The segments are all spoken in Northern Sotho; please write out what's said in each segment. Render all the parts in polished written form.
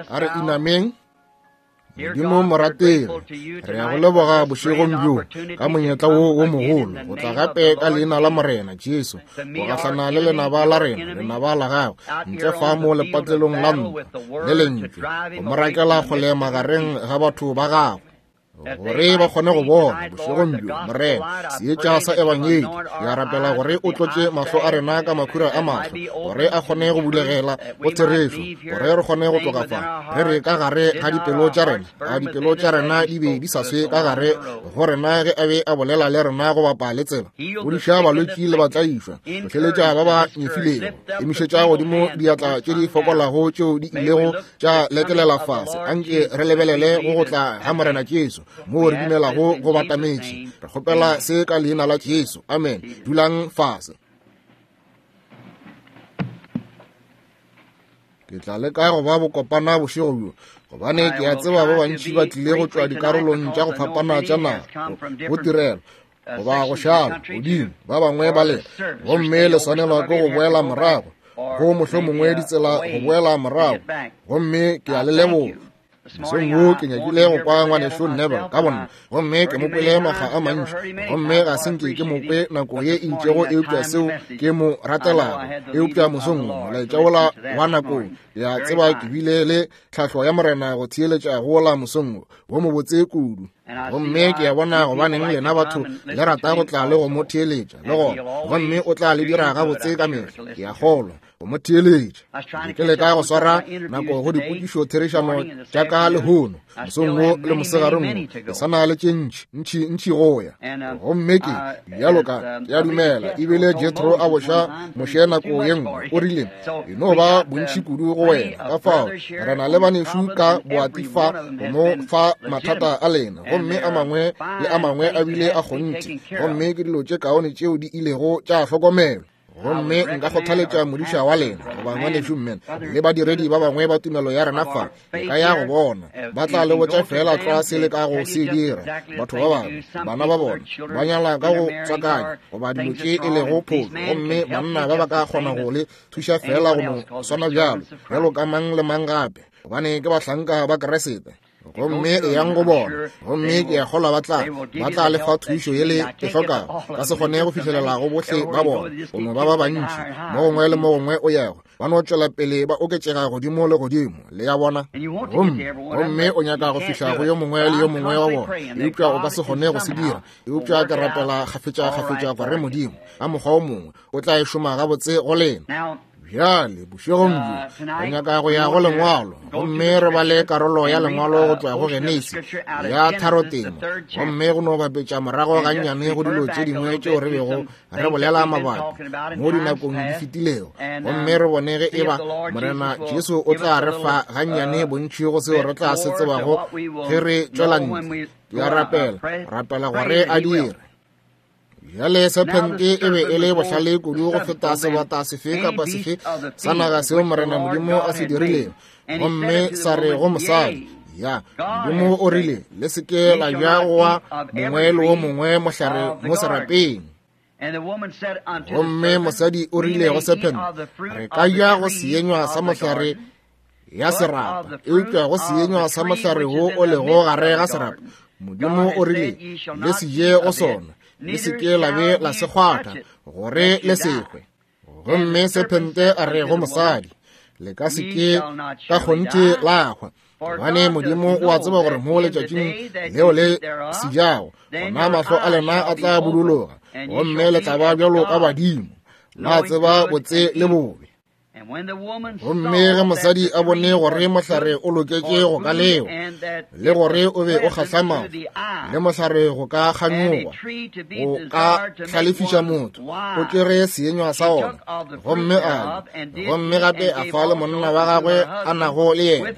A re inameng. Modimo morategi, re ya go leboga bošegong bjo ka monyetla wo wo mogolo go tla gape ka leina la Morena Jesu go gahlana le lenaba la rena, lenaba la gagwe, ntle fa mo lepatlelong la ntwa le lentšu, go mo rakela kgole magareng ga batho ba gagwe, gore ba kgone go bona bošegong bjo, Morena, seetša sa Ebangedi. Ke a rapela gore o tlotše mahlo a rena ka makhura a mahlo, gore a kgone go bulegela go therešo, gore re kgone go tloga fa re re ka gare ga dipelo tša rena, a dipelo tša rena di be di sa swe ka gare go rena ge a be a bolela le rena go bapa le tsela. Fodiša balwetši le batlaišwa, hlohleletša ba ba nyefilego, emišetša godimo diatla tše di fokolago tšeo di ilego tša lekelela fase. Anke re lebelele go go tla ga Morena Jesu, moo re dumelago go batametše. Re kgopela se ka leina la Jesu. Amen. Dulang fase. Ke tla leka go ba bokopana bošego bjo, gobane ke a tseba ba bantši ba tlile go tšwa dikarolong tša go fapana tša naga go tirelo goba go šala godimo, ba bangwe ba lena, gomme le swanelwa ke go boela morago go mohlomongwe ditsela go boela morago, gomme ke a le leboga. Mosong wo ke nyakile go kwa ngwanešu Neville ka bonna, gomme ke mo kwele makga a mantši, gomme ga se nke ke mo kwe nako ye e itšego eupša seo ke mo ratelago. Eupša mosong wo molaetša wola wa nakong, ke a tseba ke bile le tlhahlo ya Morena go theeletša go wola mosong wo, wo mobotse kudu. Gomme ke a bona gobaneng lena batho le rata go tla le go mo theeletša le gona, gomme o tla le dira gabotse ka mehla, ke a kgolwa, go mo theeletša. Ke leka go swara nako go dipotšišo therišano tša ka lehono, mosong wo le mosegareng wo, ke sa na le tše ntši, ntši, ntši go ya. Gomme ke, bjalo ka, ke a dumela, ebile Jethro a boša Moshe nako ye nngwe, o rile, E no ba bontši kudu go wena. Ka fao, re na le banešu ka boati fa go mo fa mathata a lena, gomme a mangwe le a mangwe a bile a kgonthe, gomme ke dilo tše kaone tšeo di ilego tša hlokomelwa. Gomme nka kgothaletša modiša wa lena goba ngwanešu Mmen le badiredi ba bangwe ba tumelo ya rena fa, le ka ya go bona, ba tla le botša feela tlwa se le ka go se dira. Batho ba bangwe, bana ba bona ba nyala ka go tswakanya goba dilo tše e lego phošo, gomme banna ba ba ka kgona go le thuša feela go no swana bjalo, bjalo ka mang le mang gape, gobane ke bahlanka ba Keresete. Gomme eyang go bona, gomme ke a kgolwa ba tla, ba tla le fa thušo ye le e hlokago. Ka se kgone go fihlelela go bohle ba bona, go no ba ba bantši, mo gongwe le mo gongwe o yago, ba no tšwela pele ba oketšega godimo le godimo, le ya bona. Gomme, gomme o nyaka go fihla go yo mongwe le yo mongwe wa bona, eupša o ka se kgone go se dira. Eupša ke rapela kgafetša-kgafetša gore Modimo, ka mokgwa o mongwe, o tla e šoma gabotse go lena. Bjale, bošegong bjo, re nyaka go ya go Lengwalo, gomme re bale karolo ya Lengwalo go tšwa go Genesi ya tharotemo, gomme go no bapetša morago gannyane go dilo tše dingwe tšeo re bego re bolela mabapi mo dinakong di fetilego, gomme re bone ge eba Morena Jesu o tla re fa gannyane bontši go seo re tla se tsebago ge re tšwela ntle. Ke a rapela, rapela gore a dire. Bjale sephente e be e le bohlale kudu go feta sebata sefe kapa sefe sa naga seo Morena Modimo a se dirilego, gomme sa re go mosadi, Ya, Modimo o rile, le se ke la ja go wa mongwe le wo mongwe mohlare mo serapeng. Gomme mosadi o rile go sephente, Re ka ja go seenywa sa mohlare ya serapa, eupša go seenywa sa mohlare wo o lego gare ga serapa, Modimo o rile, le se je go sona, le se ke la be la se kgwatha, gore le se hwe. Gomme sephente a re go mosadi, le ka se ke ka kgonthe la hwa, gobane Modimo o a tseba gore mo letšatšing leo le se jago, gona mahlo a lena a tla buduloga, gomme le tla ba bjalo ka badimo, la tseba botse le bobe. Gomme ge mosadi a bone gore mohlare o loketše go ka lewa, le gore o be o kgahla mahlo, le mohlare go ka kganyoga, go ka hlalefiša motho, o tšere seenywa sa ona, gomme a ja, gomme gape a fa le monna wa gagwe a nago le yena,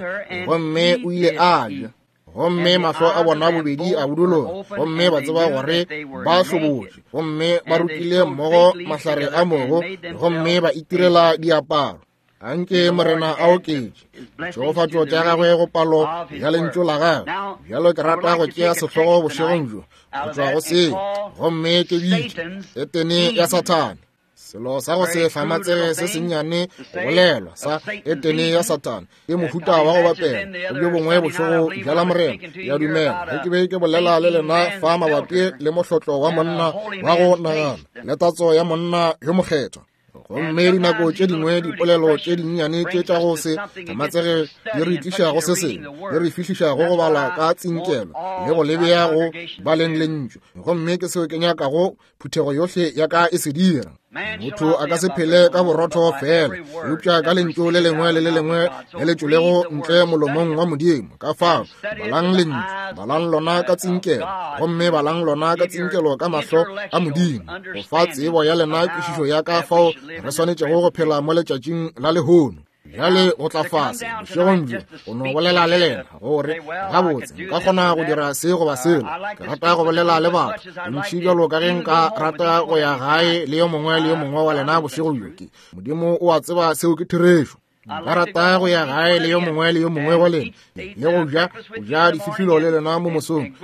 gomme o ile a ja. Gomme mahlo a bona bobedi a buduloga, gomme ba tseba gore ba hlobotše, gomme ba rutile mmogo mahlare a mogo, gomme ba itirela diaparo. Anke Morena a oketše tšhegofatšo tša gagwe go palo ya lentšu la gagwe. Bjalo ke rata go tšea sehlogo bošegong bjo go tšwa go seo, gomme ke bitše Etene ya Sathane. Selo sa go se hlamatsege se sennyane go bolelwa sa Etene ya Sathane ke mohuta wa go bapela go bjo bongwe bošego bja Lamorena. Ke a dumela ge ke be ke bolela le lena fa mabapi le mohlotlo wa monna wa go nagana le tatso ya monna yo mokgethwa. Gomme dinako tše dingwe dipolelo tše dinnyane tše tša go se hlamatsege di re tliša go se sengwe, di re fihliša go go bala ka tsinkelo le go lebea go baleng lentšu. Gomme ke seo ke nyakago phuthego yohle ya ka e se dira. Motho a ka se phele ka borotho fela, eupša ka lentšu le lengwe le le lengwe le le tšwelego ntle molomong wa Modimo. Ka fao, balang lentšu, balang lona ka tsinkelo, gomme balang lona ka tsinkelo ka mahlo a Modimo, go fa tsebo ya lena kwešišo ya ka fao re swanetšego go phela mo letšatšing la lehono. Bjale go tla fase bošegong bjo go no bolela le lena gore gabotse nka kgona go dira se goba selo. Ke rata go bolela le batho bontši bjalo ka ge nka rata go ya gae le yo mongwe le yo mongwe wa lena bošego bjo. Ke Modimo o a tseba seo ke therešo. Nka rata go ya gae le yo mongwe le yo mongwe wa lena le go ja go ja dififilo le lena mo mosong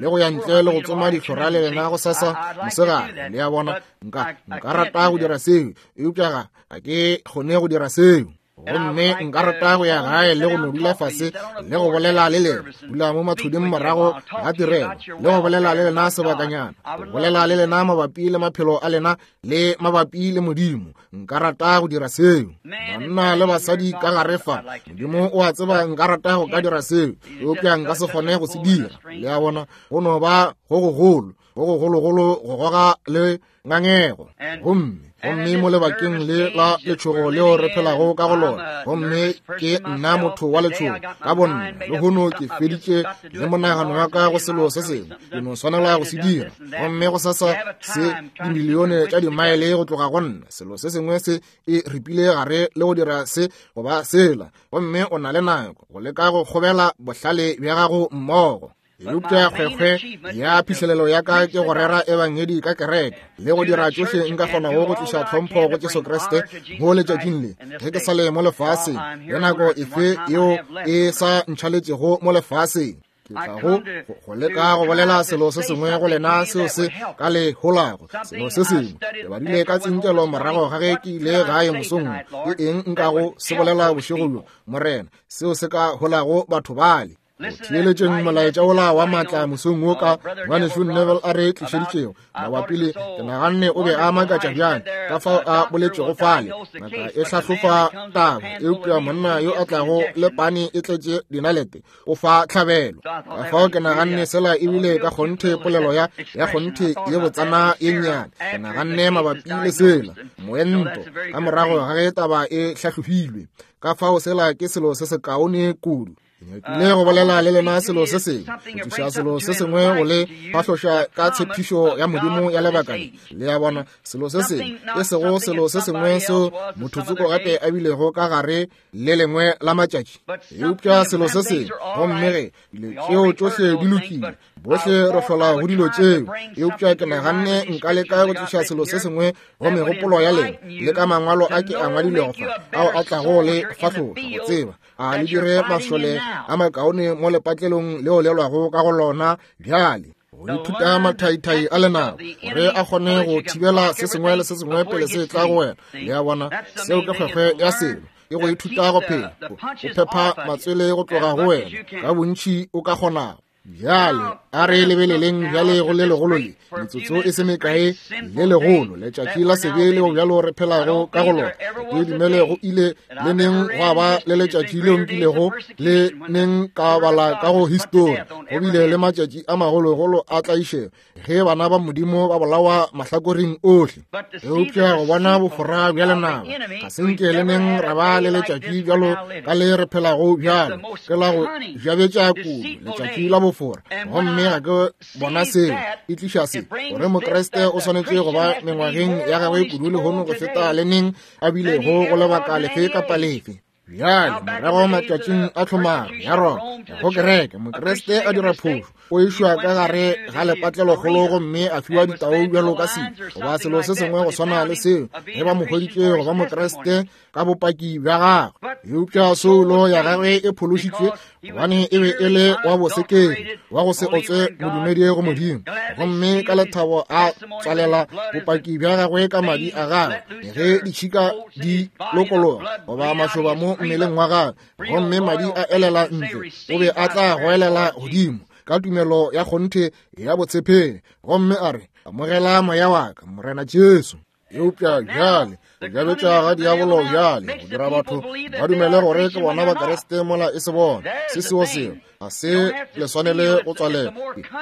le go ya ntle le go tsoma dihlora le lena go sasa mosegare. Le a bona, nka rata go dira seo, eupša ga ke kgone go dira seo. Gomme nka rata go ya gae le go no dula fase le go bolela le lena, dula mo mathuding morago ga tirelo le go bolela le lena sebakanyana, go bolela le lena mabapi le maphelo a lena le mabapi le Modimo. Nka rata go dira seo. Banna le basadi ka gare fa, Modimo o a tseba nka rata go ka dira seo, eupša nka se kgone go se dira. Le a bona, go no ba go gogolo, go gogologolo go goga le ngangego. Gomme gomme mo lebakeng le la letšhogo leo re phelago ka go lona, gomme ke nna motho wa letšhogo ka bonna, lehono ke feditše le monagano wa ka go selo se sengwe, ke no swanela go se dira. Gomme go sasa se dimilione tša dimaele go tloga go nna, selo se sengwe se e ripile gare le go dira se goba sela, gomme o na le nako go leka go kgobela bohlale bja gago mmogo. Eupša kgwekgwe ya phihlelelo ya ka ke go rera ebangedi ka kereke le go dira tšohle nka kgonago go tliša tlhompho go Jesu Kriste mo letšatšing le ge ke sa le mo lefaseng, le nako efe yeo e sa ntšhaletšego mo lefaseng. Ke tla go leka go bolela selo se sengwe go lena seo se ka le holago, selo se sengwe. Ke badile ka tsinkelo morago ga ge ke ile gae mosong. Ke eng nkago se bolela bošego bjo, Morena, seo se ka holago batho bale? Go theeletšeng molaetša wola wa maatla mosong wo ka ngwanešu Neville a re tlišeditšego mabapi le, ke naganne o be a makatša bjang ka fao a boletšego fale. Ngaka e hlahlofa taba, eupša monna yo a tlago le pane e tletše dinalete o fa tlhabelo. Ka fao ke naganne sela ebile ka kgonthe polelo ya ya kgonthe ye botsana ye nnyane. Ke naganne mabapi le sela moento ka morago ga ge taba e hlahlofilwe. Ka fao sela ke selo se sekaone kudu. Ke nyakile go bolela le lena selo se sengwe, go tliša selo se sengwe go le fahloša ka tshepišo ya Modimo ya lebaka le. Le a bona, selo se sengwe, e sego selo se sengwe seo motho tsoko gape a bilego ka gare le lengwe la matšatši, eupša selo se sengwe. Gomme ge dilo tšeo tšohle di lokile, bohle re hlola go dilo tšeo, eupša ke naganne nka leka go tliša selo se sengwe go megopolo ya lena le ka mangwalo a ke a ngwadilego fa, ao a tlago le fahloša go tseba a le dire mašole a makaone mo lepatlelong leo le lwago ka go lona bjale. Go ithuta mathaithai a lenaba gore a kgone go thibela se sengwe le se sengwe pele se tla go wena. Le a bona, seo ke kgwekgwe ya selo, ke go ithuta go phela, go phepha matswele go tloga go wena ka bontši o ka kgonago. Bjale a re lebeleleng bjale go le legolo le, metsotso e se mekae, le legolo letšatši la sebe leo bjalo re phelago ka go lona. Ke dumele go ile le neng gwa ba le letšatši leo nkilego le neng ka bala ka go histori, go bile le matšatši a magologolo a tlaišego ge bana ba Modimo ba bolawa mahlakoreng ohle. Eupša go bona bofora bja lenaba, ga se nke le neng ra ba le letšatši bjalo ka le re phelago bjalo, ke la go jabetša kudu, letšatši la bofora. Gomme ga ke bona seo e tliša se, gore Mokriste o swanetše go ba mengwageng ya gagwe kudu lehono go feta le neng a bilego go lebaka lefe kapa lefe. Bjale, morago matšatšing a tlhomaro ya Roma, go kereke, Mokriste a dira phošo, o išwa ka gare ga lepatlelokgolo gomme a fiwa ditau bjalo ka selo goba selo se sengwe go swana le seo, ge ba mo hweditše go ba Mokriste ka bopaki bja gagwe. Eupša soulo ya gagwe e phološitšwe gobane e be e le wa bosekedi, wa go se otswe modumedi go Modimo, gomme ka lethabo a tswalela bopaki bja gagwe ka madi a gagwe ge ditšhika di lokologa goba mašoba mo mmeleng wa gagwe, gomme madi a elela ntle, o be a tla goelela godimo ka tumelo ya kgonthe ya botshepegi gomme a re, Amogela moya wa ka, Morena Jesu. Eupša bjale, go jabetša ga diabolo bjale go dira batho ba dumele gore ke bona Bakriste mola e se bona. Se seo seo ga se le swanele go tswalela.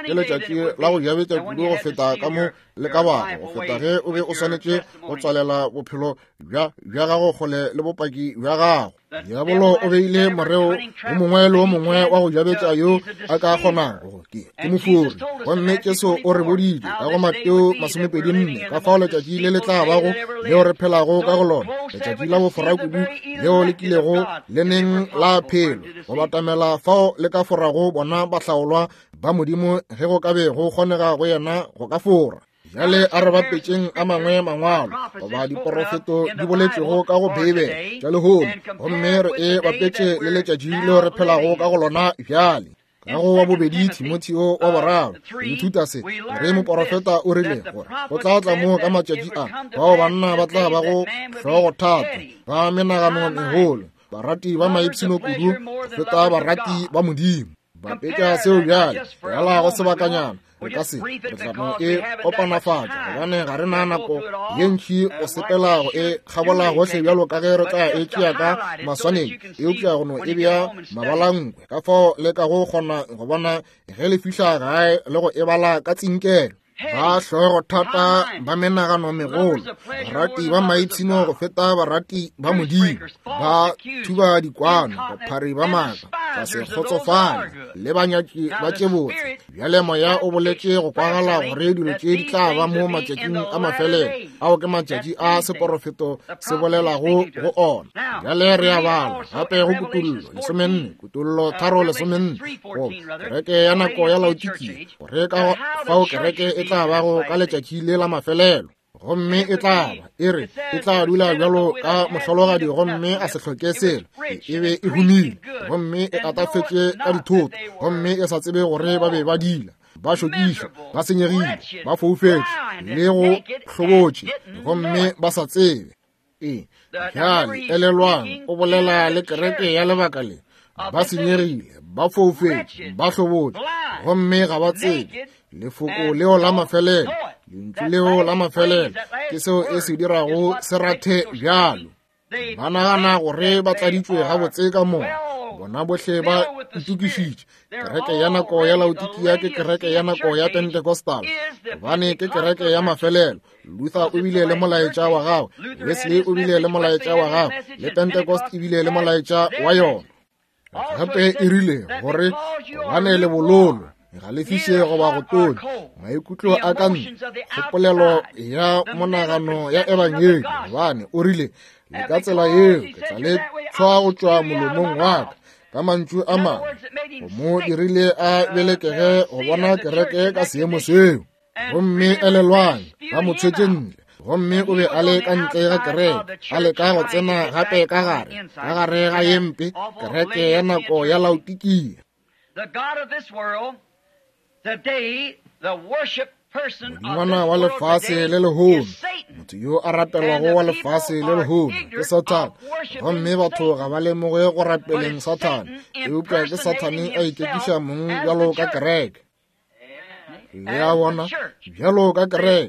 Ke letšatši la go jabetša kudu go feta ka mo le ka bago, go feta ge o be o swanetše go tswalela bophelo bja gago kgole le bopaki bja gago. Diabolo o beile moreo o mongwe le o mongwe wa go jabetša yo a ka kgonago. Ke mofori. Gomme Jesu o re boditše ka go Mateo 24 ka fao letšatši le le tla bago leo re phelago ka go lona, letšatši la bofora kudu leo le kilego le neng la phelo, go batamela fao le ka forago bona bahlaolwa ba Modimo ge go ka be go kgonega go yena go ka fora. Bjale a re bapetšeng a mangwe mangwalo goba diporofeto di boletšwego ka go Beibele tša lehono, gomme re e bapetše le letšatši leo re phelago ka go lona bjale. Ka go wa bobedi Timotheo wa boraro, re ithuta se, gore moporofeta o rile gore go tla tla mo ka matšatši a bao banna ba tla ba go hlogothata, ba menagano megolo, barati ba maipshino kudu go feta barati ba Modimo. Bapetša seo bjale, yala go sebakanyana, re ka se, re tla no e kopanafatša, gobane ga re na nako ye ntši go sepela go e kgabola gohle bjalo ka ge re tla e tšea ka maswanedi, eupša go no e bea mabalankwe, ka fao le ka go kgona go bona ge le fihla gae le go e bala ka tsinkelo. Ba hlogothata, ba menagano megolo, barati ba maipshino go feta barati ba Modimo, ba thuba dikwano, baphari ba maaka, ba se kgotsofale, le banyatši ba tše botse. Bjale Moya o boletše go kwagala gore dilo tše di tla ba mo matšatšing a mafelelo, ao ke matšatši a seporofeto se bolelago go ona. Bjale re a bala gape go Kutollo 14, Kutollo 3:14, go kereke ya nako ya Laodikia, gore ka fao kereke e tla bago ka letšatši le la mafelelo, gomme e tla ba e re e tla dula bjalo ka mohlologadi gomme a se hloke selo, e be e humile gomme e atafetše ka dithoto, gomme e sa tsebe gore ba be ba dila, ba šokiša, ba senyegile, ba foufetše le go hlobotše, gomme ba sa tsebe. Ee, bjale elelwang, o bolela le kereke ya lebaka le, ba senyegile, ba foufetše, ba hlobotše, gomme ga ba tsebe lefoko leo la mafelelo, lentšu leo la mafelelo, ke seo e se dirago se rathe bjalo. Ba nagana gore ba tladitšwe gabotse ka moya, bona bohle ba itokišitše. Kereke ya nako ya Laodikia ke kereke ya nako ya Pentecostal, gobane ke kereke ya mafelelo. Luther o bile le molaetša wa gagwe, Wesley o bile le molaetša wa gagwe, le Pentecost e bile le molaetša wa yona. Gape e rile gore gobane le bololo ga le fiše goba go tonya, maikutlo a ka ntle, kgopolelo ya monagano ya ebangedi, gobane o rile le ka tsela yeo ke tla le tshwa go tšwa molomong wa ka. Ka mantšu a mangwe, go mo dirile a belekege go bona kereke ka seemo seo. Gomme elelwang, ba mo tshwetše ntle, gomme o be a le ka ntle ga kereke, a leka go tsena gape ka gare, ka gare ga ye mpe kereke ya nako ya Laodikia. Modingwana wa lefase le lehono, motho yo a rapelwago wa lefase le lehono ke Sathane, gomme batho ga ba lemoge go rapeleng Sathane, eupša ke Sathane a ikekiša mong bjalo ka kereke. Le a bona, bjalo ka kereke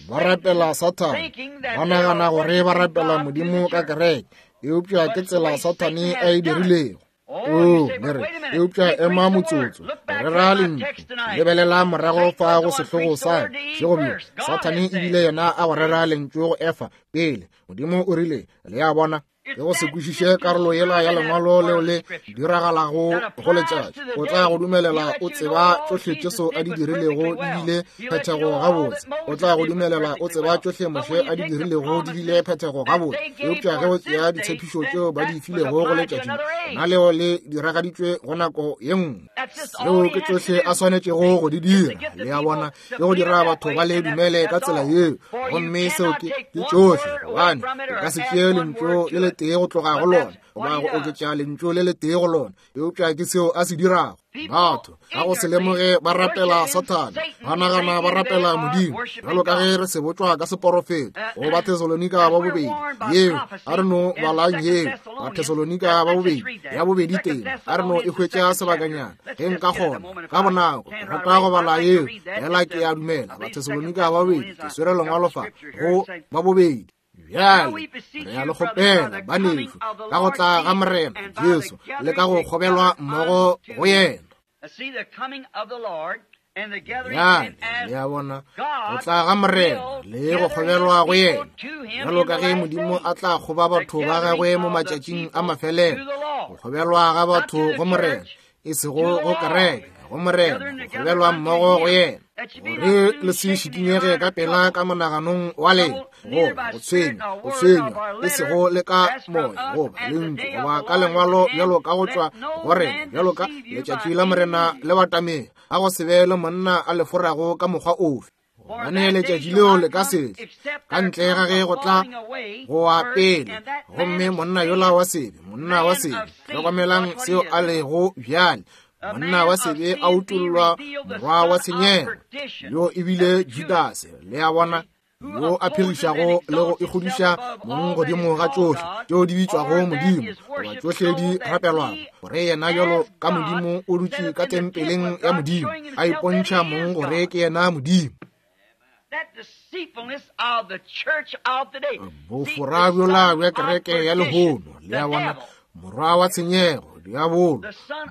ba rapela Sathane, ba nagana gore ba rapela Modimo ka kereke, eupša ke tsela Sathane a e dirilego. Oo, le re, eupša ema motsotso, re ra lentšu, lebelela morago fa go sehlogo sa šego bjo, Sathane e bile yena a go rera lentšu go Efa pele. Modimo o rile, le a bona. Ke go se kwešiše karolo yela ya lengwalo leo le diragalago go letšatši. O tla go dumelela o tseba tšohle Jesu a di dirilego di bile phethego gabotse. O tla go dumelela o tseba tšohle Moshe a di dirilego di bile phethego gabotse. Eupša ge o tsea ditshepišo tšeo ba di filego go letšatši, gona leo le diragaditšwe go nako ye nngwe. Seo ke tšohle a swanetšego go di dira. Le a bona? Ke go dira batho ba le dumele ka tsela yeo, gomme seo ke tšohle, gobane o ka se tšee lentšu le letee go tloga go lona goba go oketša lentšu le letee go lona, eupša ke seo a se dirago. Batho ka go se lemoge ba rapela Sathane, ba nagana ba rapela Modimo, bjalo ka ge re se botšwa ka seporofeto go Bathesalonika ba bobedi yeo. A re no balang yeo, Bathesalonika ba bobedi ya bobedi tema, a re no e hwetša sebakanyana ge nka kgona ka bonako. Ke rata go bala yeo, fela ke a dumela Bathesalonika ba bobedi, ke swere lengwalo fa go ba bobedi. Bjale re a le kgopela, banešu, ka go tla ga Morena Jesu le ka go kgobelwa mmogo go yena. Bjale le a bona, go tla ga Morena le go kgobelwa go yena, bjalo ka ge Modimo a tla kgoba batho ba gagwe mo matšatšing a mafelelo, go kgobelwa ga batho go Morena, e sego go kereke, go Morena, go kgobelwa mmogo go yena, gore le se šikinyege ka pela ka monaganong wa lena, goba go tshwenywa, go tshwenywa, e sego le ka moya, goba lentšu, goba ka lengwalo, bjalo ka go tšwa go rena, bjalo ka letšatši la Morena le batamela, a go se be le monna a le forago ka mokgwa ofe. Gobane letšatši leo le ka se tle ka ntle ga ge go tla go wa pele, gomme monna yola wa sebe, monna wa sebe, hlokomelang seo a lego bjale, monna wa sebe a utollwa morwa wa tshenyego, yo e bile Judase, le a bona, yo a phirišago le go ikgodiša mong godimo ga tšohle tšeo di bitšwago Modimo, goba tšohle di rapelwago, gore yena bjalo ka Modimo o dutše ka tempeleng ya Modimo, a ipontšha mong gore ke yena Modimo. Bofora bjola bja kereke ya lehono, le a bona, morwa wa tshenyego, diabolo,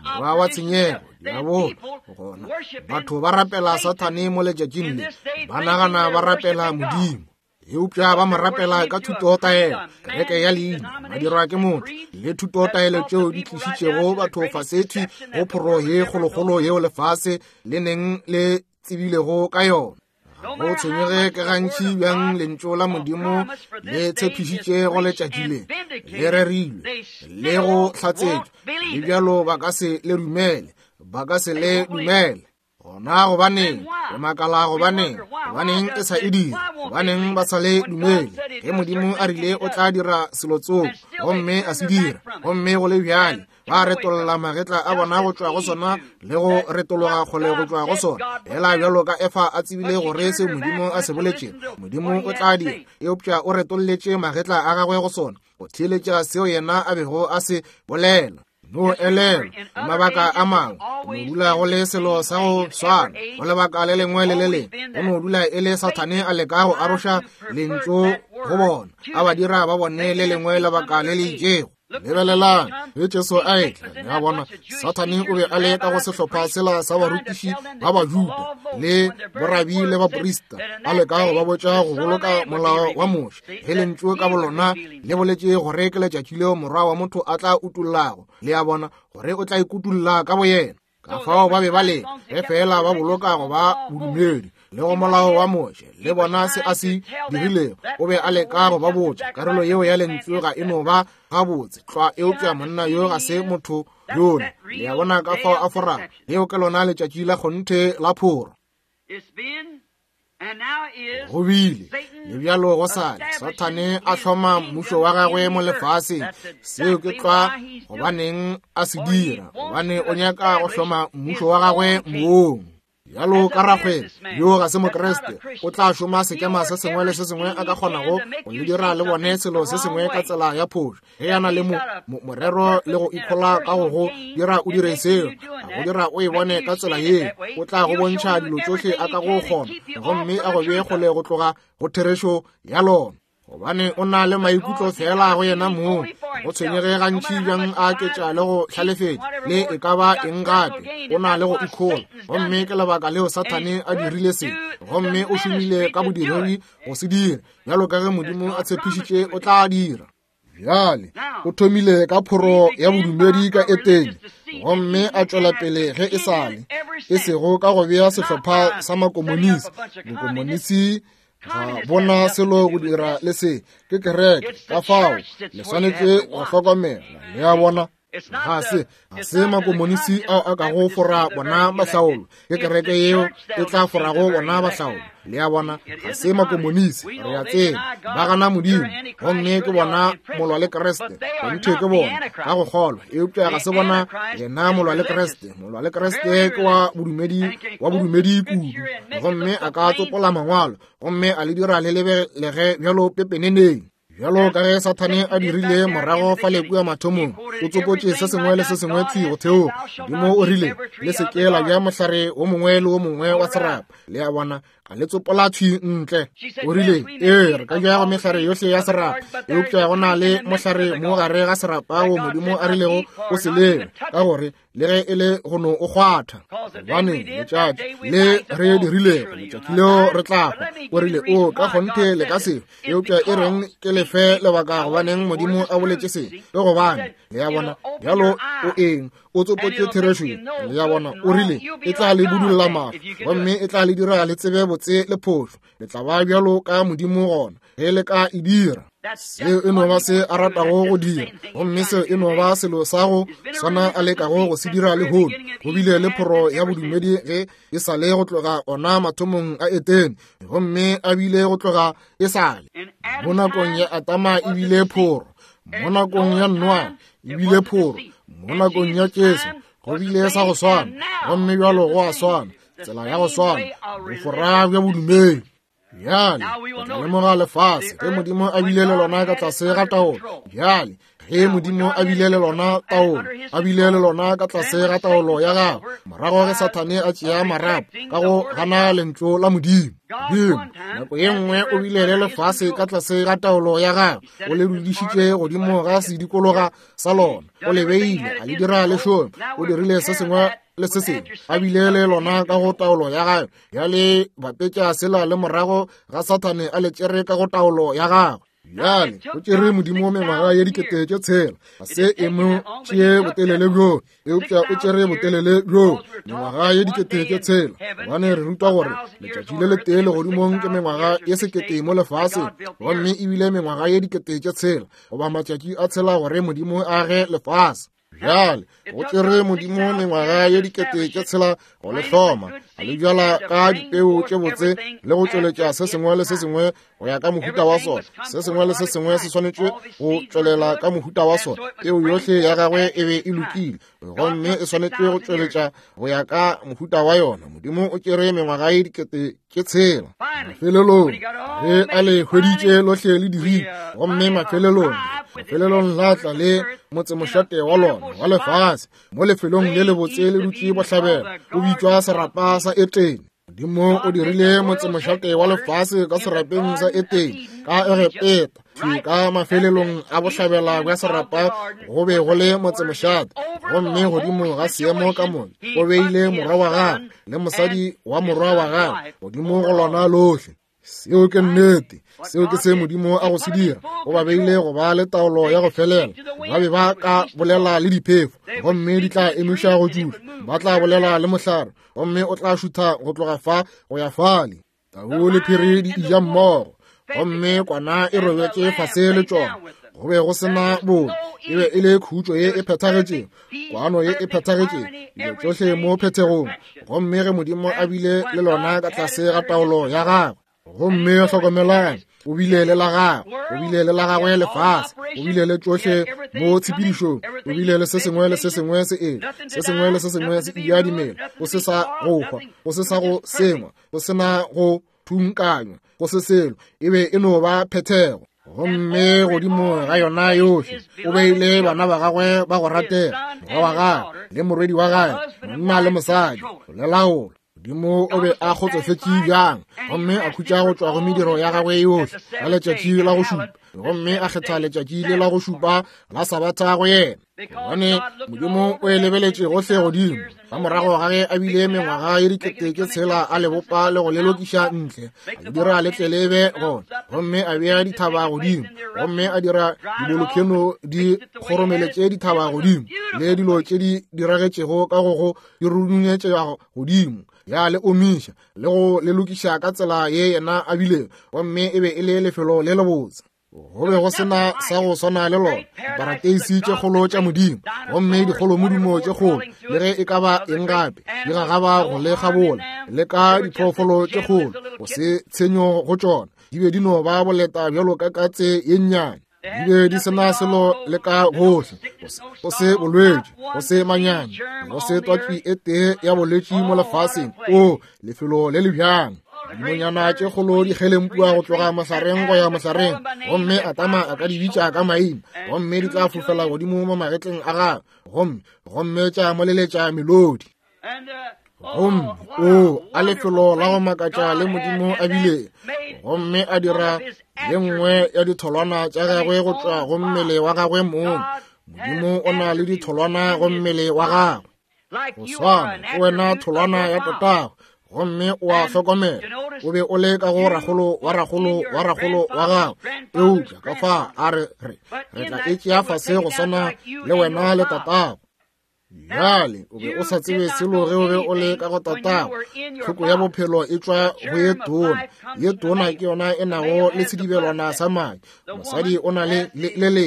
morwa wa tshenyego, diabolo. Gona batho ba rapela Sathane mo letšatšing le, ba nagana ba rapela Modimo, eupša ba mo rapela ka thutotaelo, kereke ya leina, madirwa ke motho, le thutotaelo tšeo di tlišitšego batho fasethi go phoro ye kgolokgolo yeo lefase le neng le tsebilego ka yona. Ga go tshwenyege ke gantši bjang lentšu la Modimo le tshepišitše go letšatši le, le rerilwe le go hlatsetšwa, le bjalo ba ka se le dumele, ba ka se le dumele. Gona gobaneng re makala? Gobaneng? Gobaneng e sa e dira? Gobaneng ba sa le dumele ge Modimo a rile o tla dira selo tsoko, gomme a se dira, gomme go le bjale ba retolla magetla a bona go tšwa go sona le go retologa kgole go tšwa go sona, fela bjalo ka Efa a tsebile gore se Modimo a se boletšego Modimo o tla dira, eupša o retolletše magetla a gagwe go sona go theeletša seo yena a bego a se bolela. No elelwa, mabaka a mangwe go no dula go le selo sa go swana, go lebaka le lengwe le le lengwe go no dula e le Sathane a leka go aroša lentšu go bona, a ba dira ba bone le lengwe lebaka le le itšego. Lebelelang ge Jesu a etla, le a bona, Sathane o be a le ka go sehlopha sela sa barutiši ba Bajuda le borabi le baprista, a leka go ba botša go boloka molao wa Moshe, ge lentšu ka bolona le boletše gore ke letšatši leo Morwa wa motho a tla utollago, le a bona, gore o tla ikutolla ka boyena. Ka fao ba be ba le ge fela ba boloka go ba bodumedi le go molao wa Moshe, le bona se a se dirilego. O be a leka go ba botša karolo yeo ya lentšu ga e no ba gabotse tlwa, eupša monna yo ga se motho yola. Le a bona ka fao a forago? Leo ke lona letšatši la kgonthe la phoro. Go bile le bjalo go sale Sathane a hloma mmušo wa gagwe mo lefaseng. Seo ke tlwa gobaneng a se dira, gobane o nyaka go hloma mmušo wa gagwe moong. Bjalo ka rakgwebo yo ga se Mokriste, o tla šoma sekema se sengwe le se sengwe a ka kgonago go le dira le bone selo se sengwe ka tsela ya phošo. Ge a na le morero le go ikhola ka go go dira o dire seo, a go dira o e bone ka tsela yeo, o tla go bontšha dilo tšohle a ka go kgona, gomme a go bee kgole go tloga go therešo ya lona. Gobane o na le maikutlo fela go yena mong, go tshwenyege gantši bjang a aketša le go hlalefetša le e ka ba eng gape, o na le go ikhola. Gomme ke lebaka leo Sathane a dirile se, gomme o šomile ka bodiredi go se dira, bjalo ka ge Modimo a tshepišitše o tla dira. Bjale, o thomile ka phoro ya bodumedi ka Etene, gomme a tšwela pele ge e sa le, e sego ka go bea sehlopha sa makomonisi. Bokomonisi ga bona selo go dira le se, ke kereke. Ka fao, le swanetše go hlokomela, le a bona. Ga se, ga se makomonisi ao a kago fora bona bahlaolo, ke kereke yeo e tla forago bona bahlaolo. Le a bona, ga se makomonisi, re a tseba, ba gana Modimo, gomme ke bona molwa le Kriste, kgonthe ke bona, ka go kgolwa, eupša ga se bona yena molwa le Kriste. Molwa le Kriste ke wa bodumedi, wa bodumedi kudu, gomme a ka tsopola mangwalo, gomme a le dira le lebelege bjalo pepeneneng. Bjalo ka ge Sathane a dirile morago fale kua mathomong, o tsopotše se sengwe le se sengwe thwi go theoga. Modimo o rile, Le se ke la ja mohlare wo mongwe le wo mongwe wa serapa. Le a bona, a le tsopola thwi ntle. O rile, Ee, re ka ja go mehlare yohle ya serapa, eupša go na le mohlare mo gare ga serapa wo Modimo a rilego o se leme, ka gore le ge e le go no o kgwatha, gobane letšatši le re dirilego letšatši leo re tla hwa. O rile, O ka kgonthe le ka se, eupša e reng ke le fe lebaka gobaneng Modimo a boletše se, ke gobane, le a bona, bjalo o eng, o tsopotše therešo ye, le a bona, o rile, e tla le budulla mahlo, gomme e tla le dira le tsebe botse le phošo, le tla ba bjalo ka Modimo gona ge le ka e dira. Seo e no ba se a ratago go dira, gomme seo e no ba selo sa go swana a lekago go se dira lehono. Go bile le phoro ya bodumedi ge e sa le go tloga ona mathomong a Etene, gomme a bile go tloga e sa le. Mo nakong ya Adama e bile phoro, mo nakong ya Noa e bile phoro, mo nakong ya Jesu go bile sa go swana, gomme bjalo go a swana, tsela ya go swana, bofora bja bodumedi. Bjale re tla lemoga lefase ge Modimo a bile le lona ka tlase ga taolo. Bjale ge Modimo a bile le lona taolo, a bile le lona ka tlase ga taolo ya gagwe, morago ge Sathane a tšea marapo ka go gana lentšu la Modimo. Modimo nako ye nngwe o bile le lefase ka tlase ga taolo ya gagwe, o le dudišitše godimo ga sedikologa sa lona, o le beile, a le dira le šome, o dirile se sengwe le se sengwe, a bile le lona ka go taolo ya gagwe. Bjale bapetša sela le morago ga Sathane a le tšere ka go taolo ya gagwe. Bjale go tšere Modimo mengwaga ye dikete tše tshela, ga se e mo tšee botelele bjoo, eupša o tšere botelele bjoo, mengwaga ye dikete tše tshela, gobane re rutwa gore letšatši le letee legodimong ke mengwaga ye sekete mo lefaseng, gomme ebile mengwaga ye dikete tše tshela goba matšatši a tshela gore Modimo a age lefase. Bjale go tšere Modimo mengwaga ye dikete tše tshela go le hloma, a le bjala ka dipeu tše botse le go tšweletša se sengwe le se sengwe go ya ka mohuta wa sona. Se sengwe le se sengwe se swanetše go tšwelela ka mohuta wa sona. Peu yohle ya gagwe e be e lokile, gomme e swanetše go tšweletša go ya ka mohuta wa yona. Modimo o tšere mengwaga ye dikete tše tshela. Mafelelong ge a le hweditše lohle le dirile, gomme mafelelong, mafelelong la tla le motsemošate wa lona wa lefase mo lefelong le lebotse le dutše bohlabela, o bitšwa serapa sa Etene. Modimo o dirile motsemošate wa lefase ka serapeng sa Etene ka Egepeta. Thwi ka mafelelong a bohlabela bja serapa go be go le motsemošate, gomme godimo ga seemo ka moka o beile morwa wa gagwe le mosadi wa morwa wa gagwe godimo go lona lohle. Seo ke nnete. Seo ke se Modimo a go se dira. O ba beile go ba le taolo ya go felela. Ba be ba ka bolela le diphefo, gomme di tla emiša go tšutla. Ba tla bolela le mohlare, gomme o tla šutha go tloga fa go ya fale. Tau le phiri di ija mmogo, gomme kwana e robetše fase le tšona. Go be go se na bobe, e be e le khutšo ye e phethagetšego, kwano ye e phethagetšego, dilo tšohle mo phethegong. Gomme ge Modimo a bile le lona ka tlase ga taolo ya gagwe, gomme hlokomelang, o bile le la gagwe, o bile le la gagwe lefase, o bile le tšohle mo tshepedišong, o bile le se sengwe le se sengwe se etla, se sengwe le se sengwe se eja dimela, go se sa go hwa, go se sa go sengwa, go se na go thunkanywa, go se selo, e be e no ba phethego. Gomme godimo ga yona yohle o beile bana ba gagwe ba go ratega, morwa wa gagwe le morwedi wa gagwe, monna le mosadi, go le laola. Modimo o be a kgotsofetše bjang, gomme a khutša go tšwa go mediro ya gagwe yohle ka letšatši la go šupa, gomme a kgetha letšatši le la go šupa la sabatha go yena. Gobane Modimo o e lebeletše gohle godimo, ka morago ga ge a bile mengwaga ye dikete tše tshela a le bopa le go le lokiša ntle, a le dira le tle le be gona, gomme a bea dithaba godimo, gomme a dira dibolokheno di kgoromeletše dithaba godimo, le dilo tše di diragetšego ka go go di runyetšega godimo, ya le omiša le go le lokiša ka tsela ye yena a bilego, gomme e be e le lefelo le lebotse. Go be go se na sa go swana le lona, diparateisi tše kgolo tša Modimo, gomme dikgolomodumo tše kgolo, le ge e ka ba eng gape, di gagaba go le kgabola, le ka diphoofolo tše kgolo, go se tshenyo go tšona, di be di no ba boleta bjalo ka katse ye nnyane. Di be di se na selo le ka gohle, go se bolwetši, go se manyami, go se twatši e tee ya bolwetši mo lefaseng. O lefelo le le bjang! Dinonyana tše kgolo di kgelempua go tloga mohlareng go ya mohlareng, gomme Adama a ka di bitša ka maina, gomme di tla fofela godimo mo magetleng a gagwe, gomme, gomme tša mo leletša melodi. Gomme o a lefelo la go makatša le Modimo a bile, gomme a dira ye nngwe ya ditholwana tša gagwe go tšwa go mmele wa gagwe mong. Modimo o na le ditholwana go mmele wa gagwe. Go swana, ke wena tholwana ya tatago, gomme o a hlokomela o be o le ka go ragolo wa ragolo wa ragolo wa gago, eupša ka fa a re re re tla e tšea fase go swana le wena le tatago. Bjale o be o sa tsebe selo ge o be o le ka go tatago. Tlhoko ya bophelo e tšwa go ye tona. Ye tona ke yona e nago le sedibelwana sa madi. Mosadi o na le le le.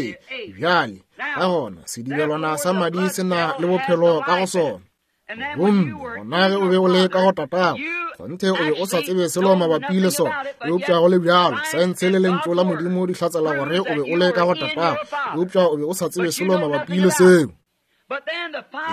Bjale ka gona sedibelwana sa madi se na le bophelo ka go sona. Gomme gona ge o be o le ka go tatago, kgonthe o be o sa tsebe selo mabapi le sona, eupša go le bjalo saense le lentšu la Modimo di hlatsela gore o be o le ka go tatago, eupša o be o sa tsebe selo mabapi le seo.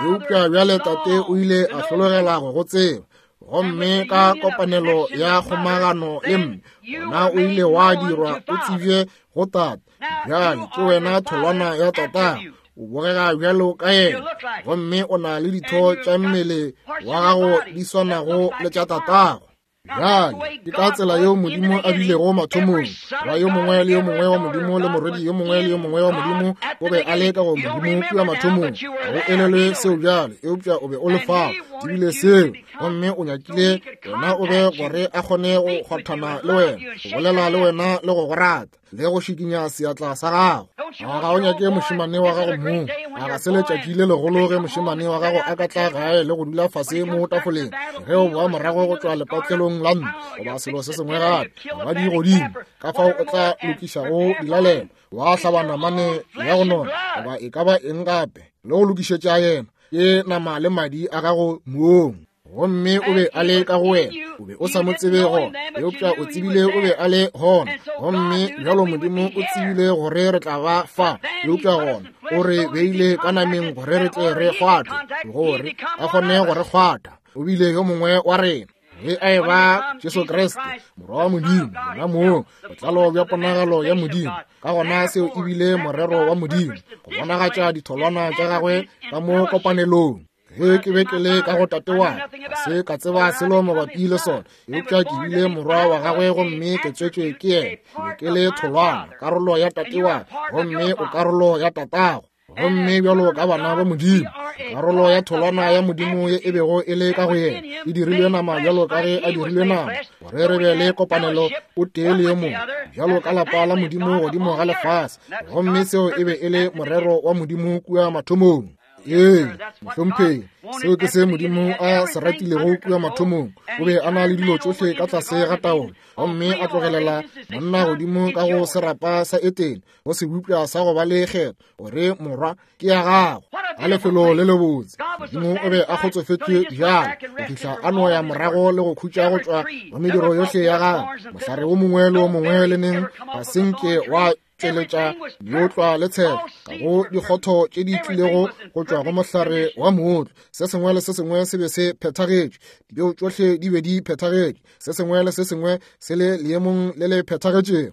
Eupša bjale tate o ile a hlologela go go tseba, gomme ka kopanelo ya kgomagano le mme, gona o ile wa dirwa o tsebje go tate. Bjale ke wena tholwana ya tatago, o bogega bjalo ka yena, gomme o na le ditho tša mmele wa gago di swanago le tša tatago. Bjale ke ka tsela yeo Modimo a bilego mathomong. Morwa yo mongwe le yo mongwe wa Modimo le morwedi yo mongwe le yo mongwe wa Modimo o be a le ka go Modimo kua mathomong. Ga o elelwe seo bjale, eupša o be o le fao. Tsebile seo, gomme o nyakile wena o be gore a kgone go kgwathana le wena, go bolela le wena le go go rata, le go šikinya seatla sa gago. A ga o nyake mošemane wa gago mong? A ga se letšatši le legolo ge mošemane wa gago a ka tla gae le go dula fase mo tafoleng ge o boa morago go tšwa lepatlelong la ntlo goba selo se sengwe gape, goba di godimo, ka fao o tla lokišago dilalelo, wa hlaba namane ya go nona goba e ka ba eng gape, le go lokišetša yena ke nama le madi a gago mong. Gomme o be a le ka go wena, o be o sa mo tsebe gona, eupša o tsebile o be a le gona. Gomme bjalo Modimo o tsebile gore re tla ba fa, eupša gona o re beile ka nameng gore re tle re kgwathwe, gore a kgone go re kgwatha. O bile yo mongwe wa rena ge a eba Jesu Kriste, Morwa wa Modimo, yena mong, botlalo bja ponagalo ya Modimo. Ka gona seo e bile morero wa Modimo, go bonagatša ditholwana tša gagwe ka mo kopanelong. Ge ke be ke le ka go tate wa ka, ga se ka tseba selo mabapi le sona, eupša ke bile morwa wa gagwe gomme ke tswetšwe ke yena. Ke be ke le tholwana, karolo ya tate wa ka, gomme o karolo ya tatago. Gomme bjalo ka bana ba Modimo, karolo ya tholwana ya Modimo ye e bego e le ka go yena e dirilwe nama bjalo ka ge a dirilwe nama, gore re be le kopanelo o tee le yo mongwe, bjalo ka lapa la Modimo godimo ga lefase. Gomme seo e be e le morero wa Modimo kua mathomong. Ee, mohlomphegi, seo ke se Modimo a se ratilego kua mathomong. O be a na le dilo tšohle ka tlase ga taolo, gomme a tlogelela monna godimo ka go serapa sa Etene, go sebopša sa go ba le kgetho, gore morwa ke ya gago. A lefelo le lebotse! Modimo o be a kgotsofetše bjalo go fihla a no ya morago le go khutša go tšwa go mediro yohle ya gagwe. Mohlare wo mongwe le wo mongwe le neng ga se nke wa tšweletša meotlwa le tshelo ka go dikgotho tše di tlilego go tšwa go mohlare wa mootlwa. Se sengwe le se sengwe se be se phethagetše, dipeo tšohle di be di phethagetše, se sengwe le se sengwe se le leemong le le phethagetšego.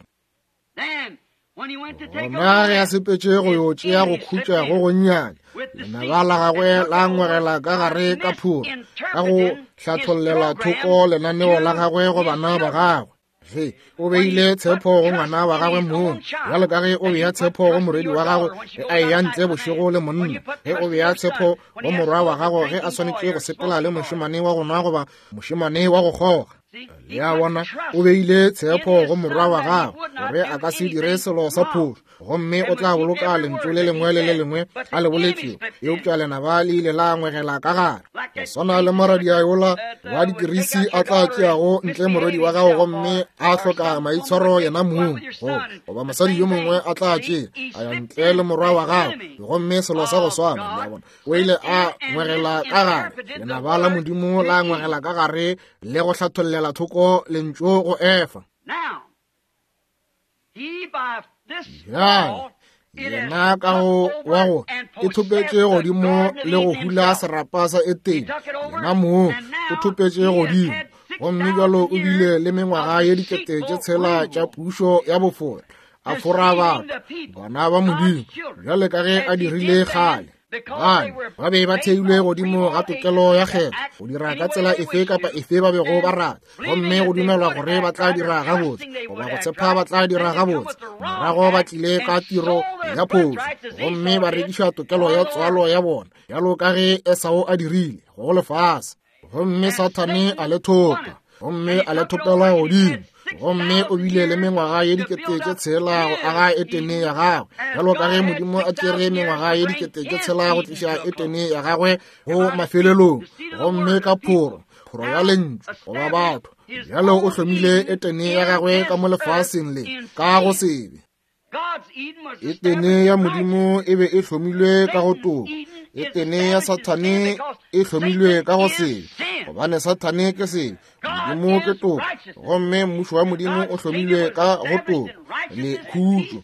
Gona ge a sepetše go yo tšea go khutša go gonnyane, lenaba la gagwe la ngwegela ka gare ka phoro ka go hlathollela thoko lenaneo la gagwe go bana ba gagwe. Ge o beile tshepo go ngwana wa gagwe mong, bjalo ka ge o bea tshepo go morwedi wa gago ge a eya ntle bošego le monna, ge o bea tshepo go morwa wa gago ge a swanetše go sepela le mošemane wa go nwa goba mošemane wa go kgoga. Le a bona, o beile tshepo go morwa wa gago gore a ka se dire selo sa phošo, gomme o tla boloka lentšu le lengwe le le lengwe a le boletšego. Eupša lenaba le ile la ngwegela ka gare, go swana le moradia yola wa dikirisi a tla tšeago ntle morwedi wa gago gomme a hloka maitshwaro yena mong, goba mosadi yo mongwe a tla tšea a ya ntle le morwa wa gago, gomme selo sa go swana. Le a bona, o ile a ngwegela ka gare, lenaba la Modimo la ngwegela ka gare le go hlathollela thoko lentšu go Efa. Bjale yena ka go wa go e thopetše godimo le go hula serapa sa Etene, yena mong o thopetše godimo, gomme bjalo o bile le mengwaga ye 6000 tša pušo ya bofora, a fora batho, bana ba Modimo, bjale ka ge a dirile kgale. Gobane ba be ba theilwe godimo ga tokelo ya kgetho go dira ka tsela efe kapa efe ba bego ba rata, gomme go dumelwa gore ba tla dira gabotse goba go tshepa ba tla dira gabotse. Morago ba tlile ka tiro ya phošo gomme ba rekiša tokelo ya tswalo ya bona, bjalo ka ge Esau a dirile go lefase. Gomme Sathane a le thopa, gomme a le thopela godimo, gomme o bile le mengwaga ye 6000 go aga Etene ya gagwe, bjalo ka ge Modimo a tšere mengwaga ye 6000 go tliša Etene ya gagwe go mafelelong, gomme ka phoro, phoro ya lentšu goba batho. Bjalo o hlomile Etene ya gagwe ka mo lefaseng le ka go sebe. Etene ya Modimo e be e hlomilwe ka go toka. Etene ya Sathane e hlomilwe ka go sebe, gobane Sathane ke sebe, Modimo ke toka. Gomme mmušo wa Modimo o hlomilwe ka go toka le khutšo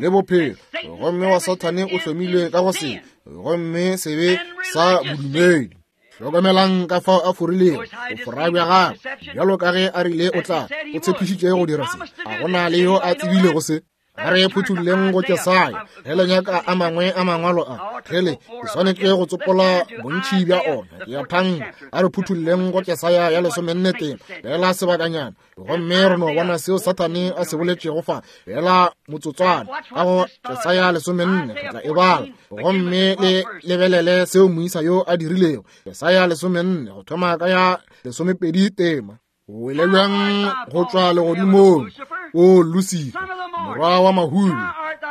le bophelo, gomme wa Sathane o hlomilwe ka go sebe, gomme sebe sa bodumedi. Hlokomelang ka fao a forilego bofora bja gagwe, bjalo ka ge a rile o tla, o tshepišitše go dira se. A go na le yo a tsebilego se? A re phuthulleng go Jesaya, ge le nyaka a mangwe a mangwalo a, ge le ke swanetše go tsopola bontši bja ona, ke a thanka. A re phuthulleng go Jesaya ya 14 tema, feela sebakanyana, gomme re no bona seo Sathane a se boletšego fa, feela motsotswana. Ka go Jesaya 14 re tla e bala, gomme le lebelele seo moisa yo a dirilego. Jesaya 14 go thoma ka ya 12 tema. O wele bjang go tšwa legodimong, o Lusifa, morwa wa mahulu,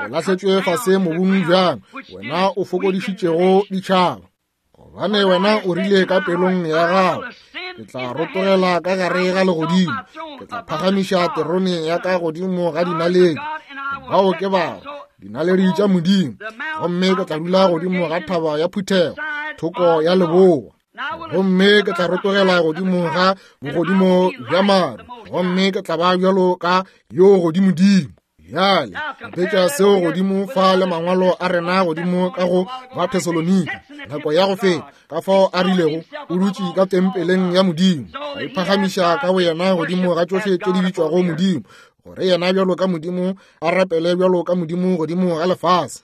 o lahletšwe fase mobung bjang, wena o fokodišitšego ditšhaba. Gobane wena o rile ka pelong ya gago, ke tla rotogela ka gare ga legodimo, ke tla phagamiša terone ya ka godimo ga dinaledi, bao ke bao dinaledi tša Modimo, gomme ke tla dula godimo ga thaba ya phuthego, thoko ya leboa. Gomme ke tla rotogela godimo ga bogodimo bja maru, gomme ke tla ba bjalo ka yo godimodimo. Bjale bapetša seo godimo fa le mangwalo a rena godimo ka go ba Thesalonika nako ya go feta, ka fao a rilego o dutše ka tempeleng ya Modimo, a iphagamiša ka boyena godimo ga tšohle tše di bitšwago Modimo, gore yena bjalo ka Modimo a rapele bjalo ka Modimo godimo ga lefase.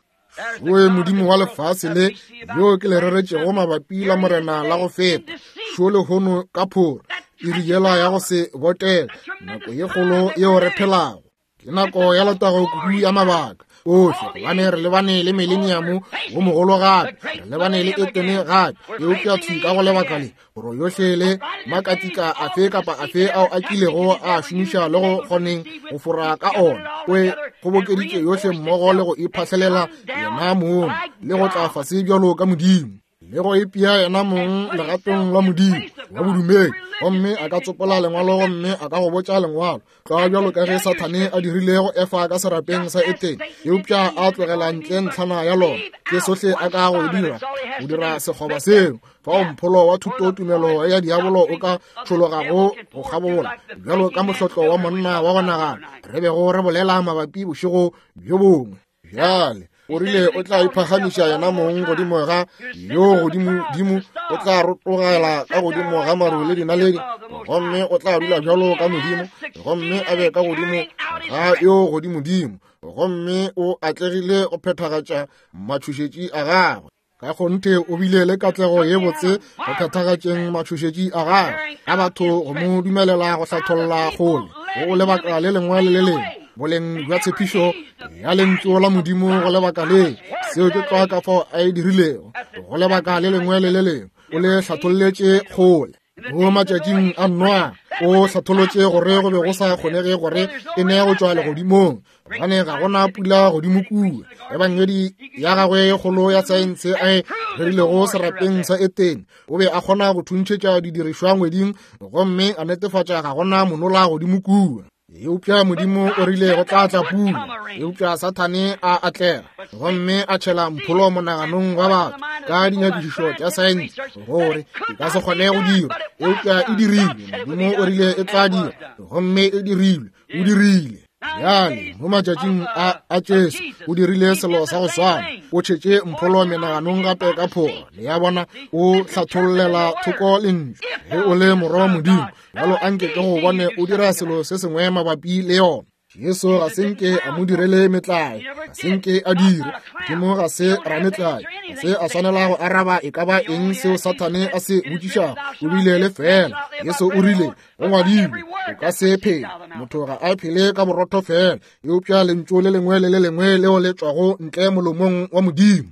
Oe Modimo wa lefase le yo ke le reretšego mabapi la Morena la go feta, šo lehono ka phoro, iri yela ya go se botele, nako ye kgolo yeo re phelago. Ke nako ya letago kudu ya mabaka ohle, gobane re lebane le mileniamo wo mogolo gape, re lebane le Etene gape, eupša thwi ka go lebaka le, gore yohle le makatika afe kapa afe ao a kilego a šomiša le go kgoneng go fora ka ona, o e kgobokeditše yohle mmogo le go iphahlelela yena mong le go tla fase bjalo ka Modimo, le go ipea yena mong legatong la Modimo wa bodumedi, gomme a ka tsopola lengwalo gomme a ka go botša lengwalo tlwa bjalo ka ge Sathane a dirile go Efa ka serapeng sa Etene, eupša a tlogela ntle ntlhana ya lona. Ke sohle a ka go dira, go dira sekgoba seo fao mpholo wa thutotumelo ya diabolo o ka tšhologago go kgabola bjalo ka mohlotlo wa monna wa go nagana re bego re bolela mabapi bošego bjo bongwe. Bjale o rile o tla iphagamiša yena mong godimo ga yo godimodimo, o tla rotogela ka godimo ga maru le dinaledi, gomme o tla dula bjalo ka Modimo, gomme a be ka godimo ga yo godimodimo. Gomme o atlegile go phethagatša matšhošetši a gagwe. Ka kgonthe o bile le katlego ye botse go phethagatšeng matšhošetši a gagwe, ka batho go mo dumelela go hlatholla kgole go lebaka le lengwe le le lengwe boleng bja tshepišo ya lentšu la Modimo go lebaka le. Seo ke tlwa ka fao a e dirilego go lebaka le lengwe le le lengwe, o le hlatholletše kgole. Mo matšatšing a Noa o hlatholotše gore go be go sa kgonege gore e ne go tšwa legodimong, gobane ga gona pula godimo kua. Ebangedi ya gagwe e kgolo ya saense a e rerilego serapeng sa Etene, o be a kgona go thuntšhetša didirišwa ngweding gomme a netefatša ga gona monola godimo kua. Eupša Modimo o rile go tla tla pula, eupša Sathane a atlega gomme a tšhela mpholo monaganong wa batho ka dinyakišišo tša saense gore e ka se kgone go dira, eupša e dirilwe. Modimo o rile e tla dira, gomme e dirilwe. O dirile. Bjale mo matšatšing a Jesu o dirile selo sa go swana, o tšhetše mpholo menaganong gape ka phoro. Le ya bona, o hlathollela thoko lentšu. Ge o le morwa wa Modimo, bjalo anke ke go bone o dira selo se sengwe mabapi le yona. Jesu ga se nke a mo direle metlae, ga se nke a dire. Modimo ga se rametlae, ga se a swanela go araba e ka ba eng seo Sathane a se botšišago. O bile le fela. Jesu o rile, go ngwadilwe, o ka se phele. Motho ga a phele ka borotho fela, eupša lentšu le lengwe le le lengwe leo le tšwago ntle molomong wa Modimo.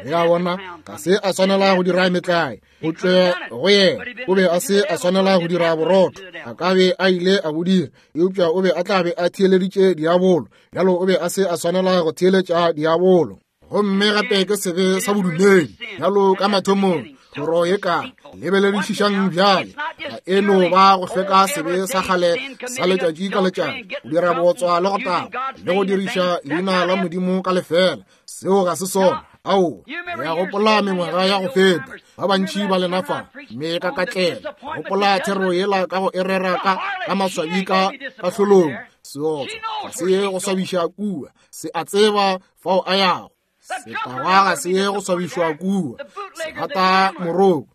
Le a bona, ga se a swanela go dira metlae go tšwe go yena. O be a se a swanela go dira borotho, a ka be a ile a bo dira, eupša o be a tla be a theeleditše diabolo. Bjalo o be a se a swanela go theeletša diabolo. Gomme gape ke sebe sa bodumedi, bjalo ka mathomong, thoro ye ka lebeledišišang bjale, ga e no ba go hlweka sebe sa kgale sa letšatši ka letšatši, go dira bootswa le go tagwa le go diriša leina la Modimo ka lefela. Seo ga se sona. Ao, re a gopola mengwaga ya go feta, ba bantši ba lena fa, mme ka katlela gopola thero yela ka go e rera ka maswabi ka kahlolong. Seotswa ga se ye go swabiša kua, se a tseba fao a yago. Setagwa ga se ye go swabišwa kua, se rata moroko,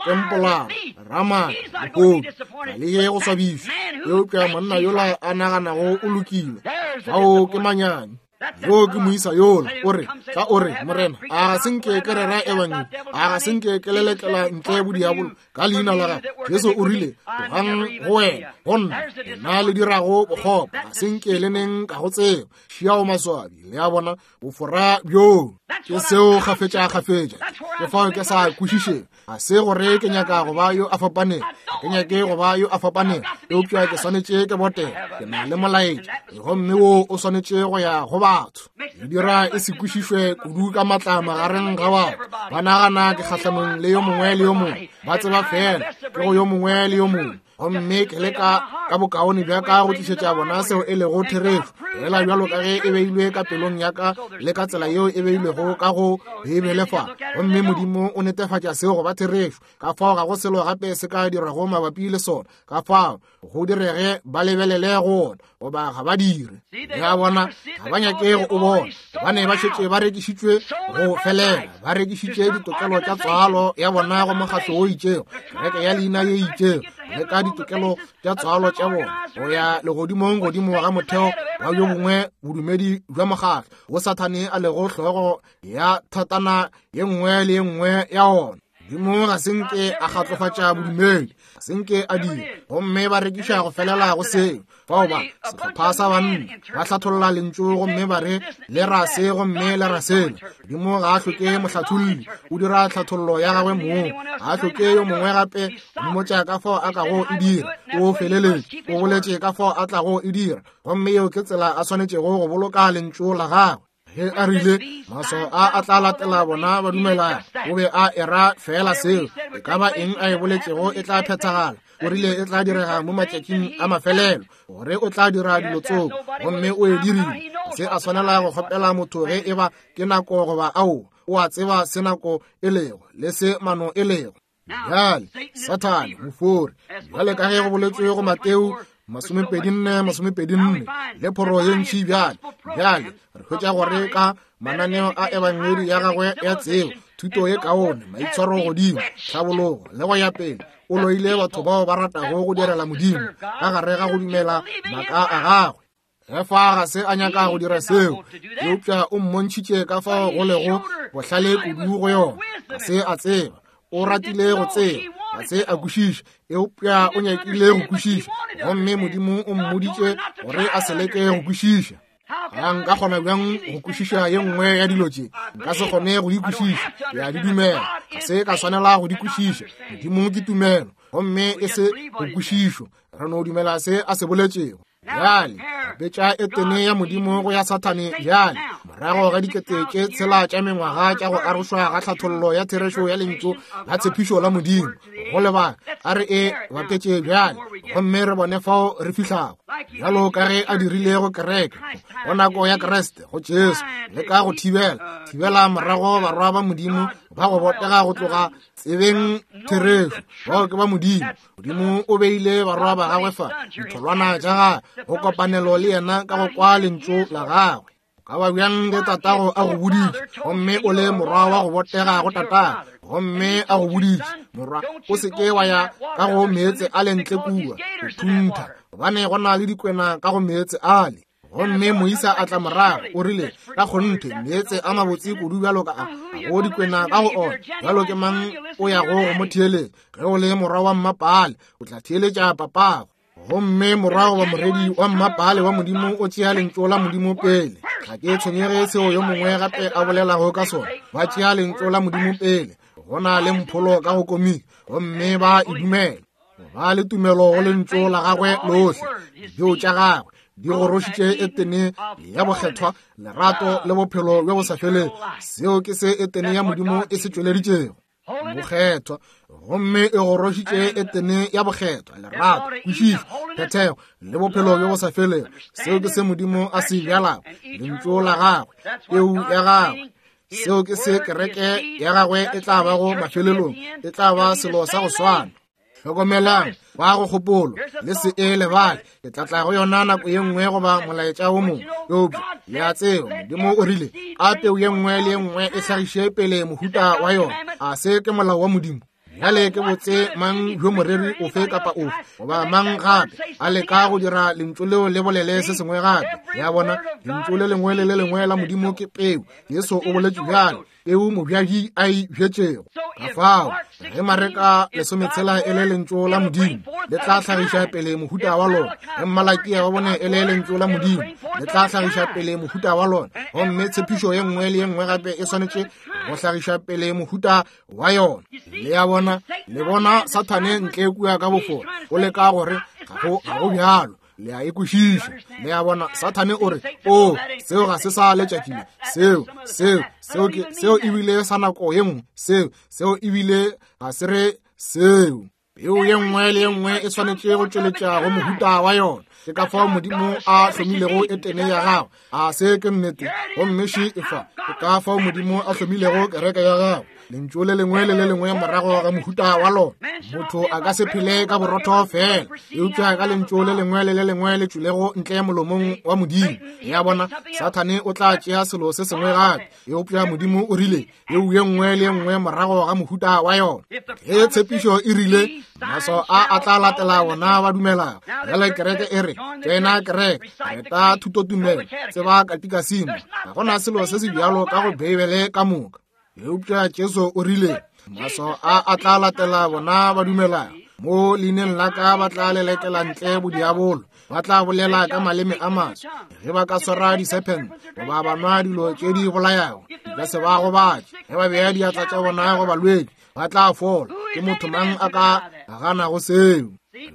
tempolara, ramana, lehodu, ga le ye go swabišwa. Eupša monna yola a naganago o lokile, fao ke manyami. Yo ke moisa yola, o re, tla o re, Morena, a ga se nke ke rera ebangedi, a ga se nke ke lelekela ntle bodiabolo ka leina la gago. Jesu o rile, tlogang go wena, go nna, nna le dirago bokgopo, ga se nke le neng ka go tseba. Šiao maswabi, le a bona, bofora bjoo. Ke seo kgafetša-kgafetša, ke fao ke sa kwešišeng. Ga se gore ke nyaka go ba yo a fapanego, ke nyake go ba yo a fapanego, eupša ke swanetše ke botega. Ke na le molaetša, gomme wo o swanetše go ya go batho. E dira e se kwešišwe kudu ka matla magareng ga batho. Ba nagana ke kgahlanong le yo mongwe le yo mongwe, ba tseba fela ke go yo mongwe le yo mongwe. Gomme ke leka ka bokaone bja ka go tlišetša bona seo e lego therešo, fela bjalo ka ge e beilwe ka pelong ya ka le ka tsela yeo e beilwego ka go Beibele fa. Gomme Modimo o netefatša seo go ba therešo, ka fao ga go selo gape se ka dirwago mabapi le sona. Ka fao go direge ba lebelele go ona goba ga ba dire. Le a bona, ga ba nyake go o bona, gobane ba šetše ba rekišitšwe go felela, ba rekišitše ditokelo tša tswalo ya bona go mokgatlo wo itšego, kereke ya leina ye itšego, le ka ditokelo tša tswalo tša bona go ya legodimong godimo ga motheo wa bjo bongwe bodumedi bja mokgatlo wo Sathane a lego hlogo ya thatana ye nngwe le ye nngwe ya ona. Modimo ga se nke a kgatlofatša bodumedi, ga se nke a dira, gomme ba rekiša go felela go seo. Fao ba sehlopha sa banna ba hlatholla lentšu gomme ba re le ra se gomme le ra sela. Modimo ga a hloke mohlatholli, o dira tlhathollo ya gagwe mong, ga a hloke yo mongwe gape go mmotša ka fao a kago e dira. O feleletše, o boletše ka fao a tlago e dira, gomme yeo ke tsela a swanetšego go boloka lentšu la gagwe. Ge a rile maswao a a tla latela bona ba dumelago, o be a era fela seo. E ka ba eng a e boletšego e tla phethagala. O rile e tla direga mo matšatšing a mafelelo, gore o tla dira dilo tsoko, gomme o e dirile. Se a swanela go kgopela motho ge e ba ke nako goba ao, o a tseba se nako e lego le se mano e lego. Bjale Sathane mofori, bjale ka ge go boletswe go Mateo 24:24 le phoro ye ntši. Bjale bjale re hwetša gore ka mananeo a ebangedi ya gagwe ya tsebo, thuto ye kaone, maitshwaro godimo, tlhabologo le go ya pele, o loile batho bao ba ratago go direla Modimo ka gare ga go dumela maaka a gagwe. Efa ga se a nyaka go dira seo, eupša o mmontšhitše ka fao go lego bohlale kudu go yona. Ga se a tseba. O ratile go tseba, ga se a kwešiša, eupša o nyakile go kwešiša, gomme Modimo o mmoditše gore a se leke go kwešiša. A nka kgona bjang go kwešiša ye nngwe ya dilo tše? Nka se kgone go di kwešiša. Ke a di dumela. Ga se ka swanela go di kwešiša. Modimo ke tumelo, gomme e se go kwešišo. Re no dumela se a se boletšego. Bjale, bapetša Etene ya Modimo go ya Sathane bjale, morago ga 6000 tša mengwaga tša go arošwa ga tlhathollo ya therešo ya Lentšu la tshepišo la Modimo. Go lebaka, a re e bapetše bjale, gomme re bone fao re fihlago. Bjalo ka ge a dirile go kereke, go nako ya Kriste, go Jesu, le ka go thibela, thibela morago barwa ba Modimo ba go botega go tloga tsebeng therešo. Bao ke ba Modimo. Modimo o beile barwa ba gagwe fa, ditholwana tša gagwe, go kopanelo le yena ka go kwa lentšu la gagwe. O ka ba bjang ge tatago a go boditše, gomme o le morwa wa go botega go tatago, gomme a go boditše, morwa, o se ke wa ya ka go meetse a le ntle kua, go thuntha, gobane go na le dikwena ka go meetse ale. Gomme moisa a tla morago, o rile, ka kgonthe, meetse a mabotse kudu bjalo ka a, ga go dikwena ka go ona. Bjalo ke mang o yago go mo theeletša? Ge o le morwa wa mmapaale, o tla theeletša papago. Gomme morwa goba moredi wa mmapaale wa Modimo o tšea lentšu la Modimo pele. Ga ke tshwenyege seo yo mongwe gape a bolelago ka sona. Ba tšea lentšu la Modimo pele. Go na le mpholo ka go komiki, gomme ba e dumela. Ba le tumelo go lentšu la gagwe lohle. Dipeo tša gagwe di gorošitše Etene ya bokgethwa, lerato le bophelo bjo bo sa felego. Seo ke se Etene ya Modimo e se tšweleditšego, bokgethwa. Gomme e gorošitše Etene ya bokgethwa, lerato, kwešišo, phethego le bophelo bjo bo sa felego. Seo ke se Modimo a se bjalago, lentšu la gagwe, peu ya gagwe. Seo ke se kereke ya gagwe e tla bago mafelelong, e tla ba selo sa go swana. Hlokomelang, ba go kgopolo, le se e lebale, ke tla tla go yona nako ye nngwe goba molaetša wo mongwe. Eupša le a tseba, Modimo o rile, a peu ye nngwe le ye nngwe e hlagiše pele mohuta wa yona. A se ke molao wa Modimo? Bjale ke botse mang bjo moreri ofe kapa ofe goba mang gape a leka go dira lentšu leo le bolele se sengwe gape. Ya bona, lentšu le lengwe le le lengwe la Modimo ke peu. Jesu o boletše bjalo, peu mobjadi a e bjetšego. Ka fao, ge Mareka 16 e le lentšu la Modimo, le tla hlagiša pele mohuta wa lona. Ge Malakia wa bone e le lentšu la Modimo, le tla hlagiša pele mohuta wa lona. Gomme tshepišo ye nngwe le ye nngwe gape e swanetše go hlagiša pele mohuta wa yona. Le a bona, le bona Sathane ntle kua ka bofora, o leka gore ga go bjalo. Le a e kwešiša. Le a bona, Sathane o re, o, seo ga se sa letšatši le. Seo, seo, seo ke, seo ebile sa nako ye nngwe. Seo, seo ebile ga se re seo. Peu ye nngwe le ye nngwe e swanetše go tšweletša go mohuta wa yona. Ke ka fao Modimo a hlomilego Etene ya gagwe. A se ke nnete? Gomme še e fa. Ke ka fao Modimo a hlomilego kereke ya gagwe. Lentšu le lengwe le le lengwe morago ga mohuta wa lona. Motho a ka se phele ka borotho fela, eupša ka lentšu le lengwe le le lengwe le tšwilego ntle molomong wa Modimo. Ya bona, Sathane o tla tšea selo se sengwe gape, eupša Modimo o rile, peu ye nngwe le ye nngwe morago ga mohuta wa yona. Ge tshepišo e rile, maswao a a tla latela bona ba dumelago. Bjale kereke e re, tsena kereke, reta thutotumelo, tseba katikasimo. Ga go na selo se se bjalo ka go Beibele ka moka. Eupša Jesu o rile, maswao a a tla latela bona ba dumelago. Mo leineng la ka ba tla lelekela ntle bodiabolo, ba tla bolela ka maleme a maswa. Ge ba ka swara disephente goba ba nwa dilo tše di bolayago, di ka se ba gobatše. Ge ba bea diatla tša bona go balwetši, ba tla fola. Ke motho mang a ka ganago seo?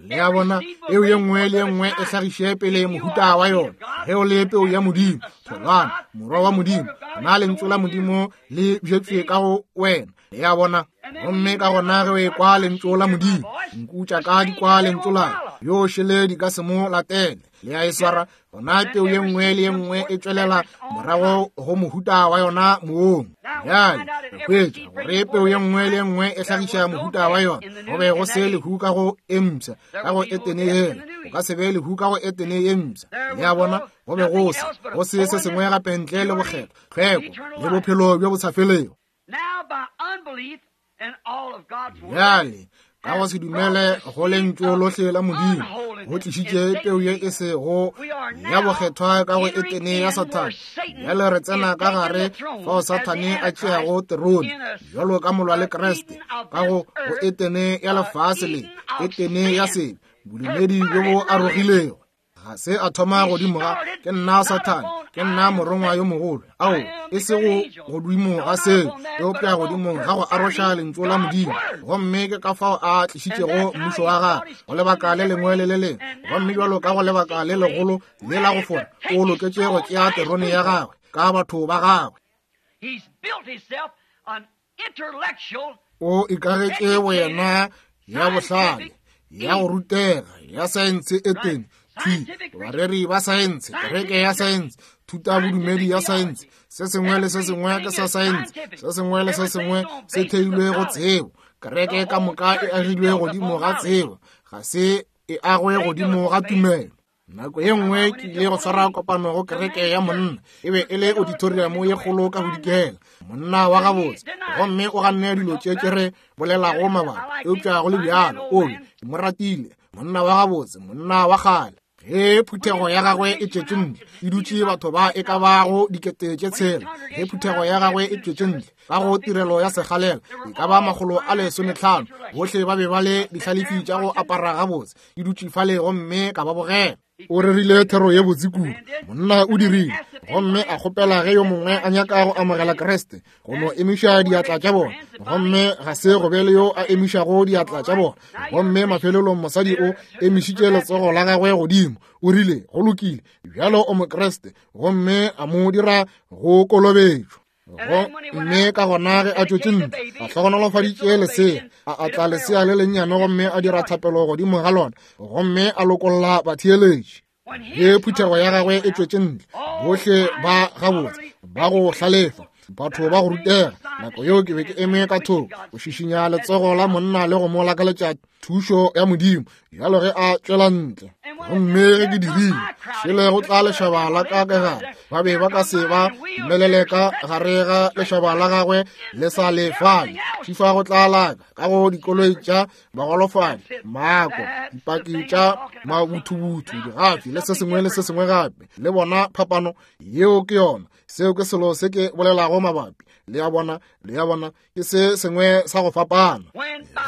Le a bona, peu ye nngwe le ye nngwe e hlagiše pele mohuta wa yona. Ge o le peu ya Modimo, tholwana, morwa wa Modimo, gona lentšu la Modimo le bjetšwe ka go wena. Le a bona? Gomme ka gona ge o ekwa lentšu la Modimo, nku tša ka di kwa lentšu la yo šele di ka se mo latele. Le a e swara, gona peu ye nngwe le ye nngwe e tšwelela morago go mohuta wa yona moong. Bjale re hwetša gore peu ye nngwe le ye nngwe e hlagiša mohuta wa yona. Go be go se lehu ka go e mpsha, ka go Etene yela. Go ka se be lehu ka go Etene ye mpsha. Le a bona, go be go se, go se se sengwe gape ntle le bokgethwa, tlhweko le bophelo bjo bo sa felego. Bjale, Ka go se dumele go lentšu lohle la Modimo, go tlišitše peu ye e sego ya bokgethwa ka go Etene ya Sathane. Bjale re tsena ka gare fao Sathane a tšeago terone bjalo ka molwa le Kriste ka go go Etene ya lefase le Etene ya sebe, bodumedi bjo bo arogilego. Ga se a thoma godimo ga ke nna Sathane, ke nna morongwa yo mogolo. Ao, e sego godimo ga seo, eupša godimo ga go aroša lentšu la Modimo. Gomme ke ka fao a tlišitšego mmušo wa gagwe go lebaka le lengwe le le lengwe. Gomme bjalo ka go lebaka le legolo le la go fora, o loketše go tšea terone ya gagwe ka batho ba gagwe. O ikagetše boyena ya bohlale, ya go rutega, ya saense e teng, thwi, bareri ba saense, kereke ya saense, thutabodumedi ya saense, se sengwe le se sengwe ke sa saense, se sengwe le se sengwe se theilwe go tsebo. Kereke ka moka e agilwe godimo ga tsebo, ga se e agwe godimo ga tumelo. Nako ye nngwe ke ile go swara kopano go kereke ya monna, e be e le auditorium ye kgolo ka bodikela, monna wa gabotse, gomme o ganne dilo tše tše re bolelago mabapi, eupša go le bjalo o be ke mo ratile, monna wa gabotse, monna wa kgale. Ge phuthego ya gagwe e tšwetše ntle, e dutše batho ba e ka bago 6000. Ge phuthego ya gagwe e tšwetše ntle ka go tirelo ya segalela, e ka ba 500, bohle ba be ba le dihlalefi tša go apara gabotse, ke dutše fale gomme ka ba bogela. O rerile thero ye botse kudu, monna o dirile, gomme a kgopela ge yo mongwe a nyaka go amogela Kriste go no emiša diatla tša bona, gomme ga se go be le yo a emišago diatla tša bona. Gomme mafelelong mosadi o emišitše letsogo la gagwe godimo, o rile, go lokile, bjalo o Mokriste, gomme a mo dira go kolobetšwa. Gomme ka gona ge a tšwetše ntle, a hlogonolofaditše lesea, a atla lesea le lennyane gomme a dira thapelo godimo ga lona, gomme a lokolla batheeletši. Ge phuthego ya gagwe e tšwetše ntle, bohle ba gabotse, ba go hlalefa, batho ba go rutega, nako yeo ke be ke eme ka thoko go šišinya letsogo la monna le go mo lakaletša thušo ya Modimo bjalo ge a tšwela ntle. Gomme ge ke dirile, šele go tla lešaba la ka ka gare, ba be ba ka se ba dumelele ka gare ga lešaba la gagwe le sa le fale. Šifa go tla laka ka go dikoloi tša bagolofadi, maako, dipaki tša mabuthubuthu, digafi le se sengwe le se sengwe gape. Le bona phapano yeo ke yona. Seo ke selo se ke bolelago mabapi. Le a bona, le a bona, ke se sengwe sa go fapana.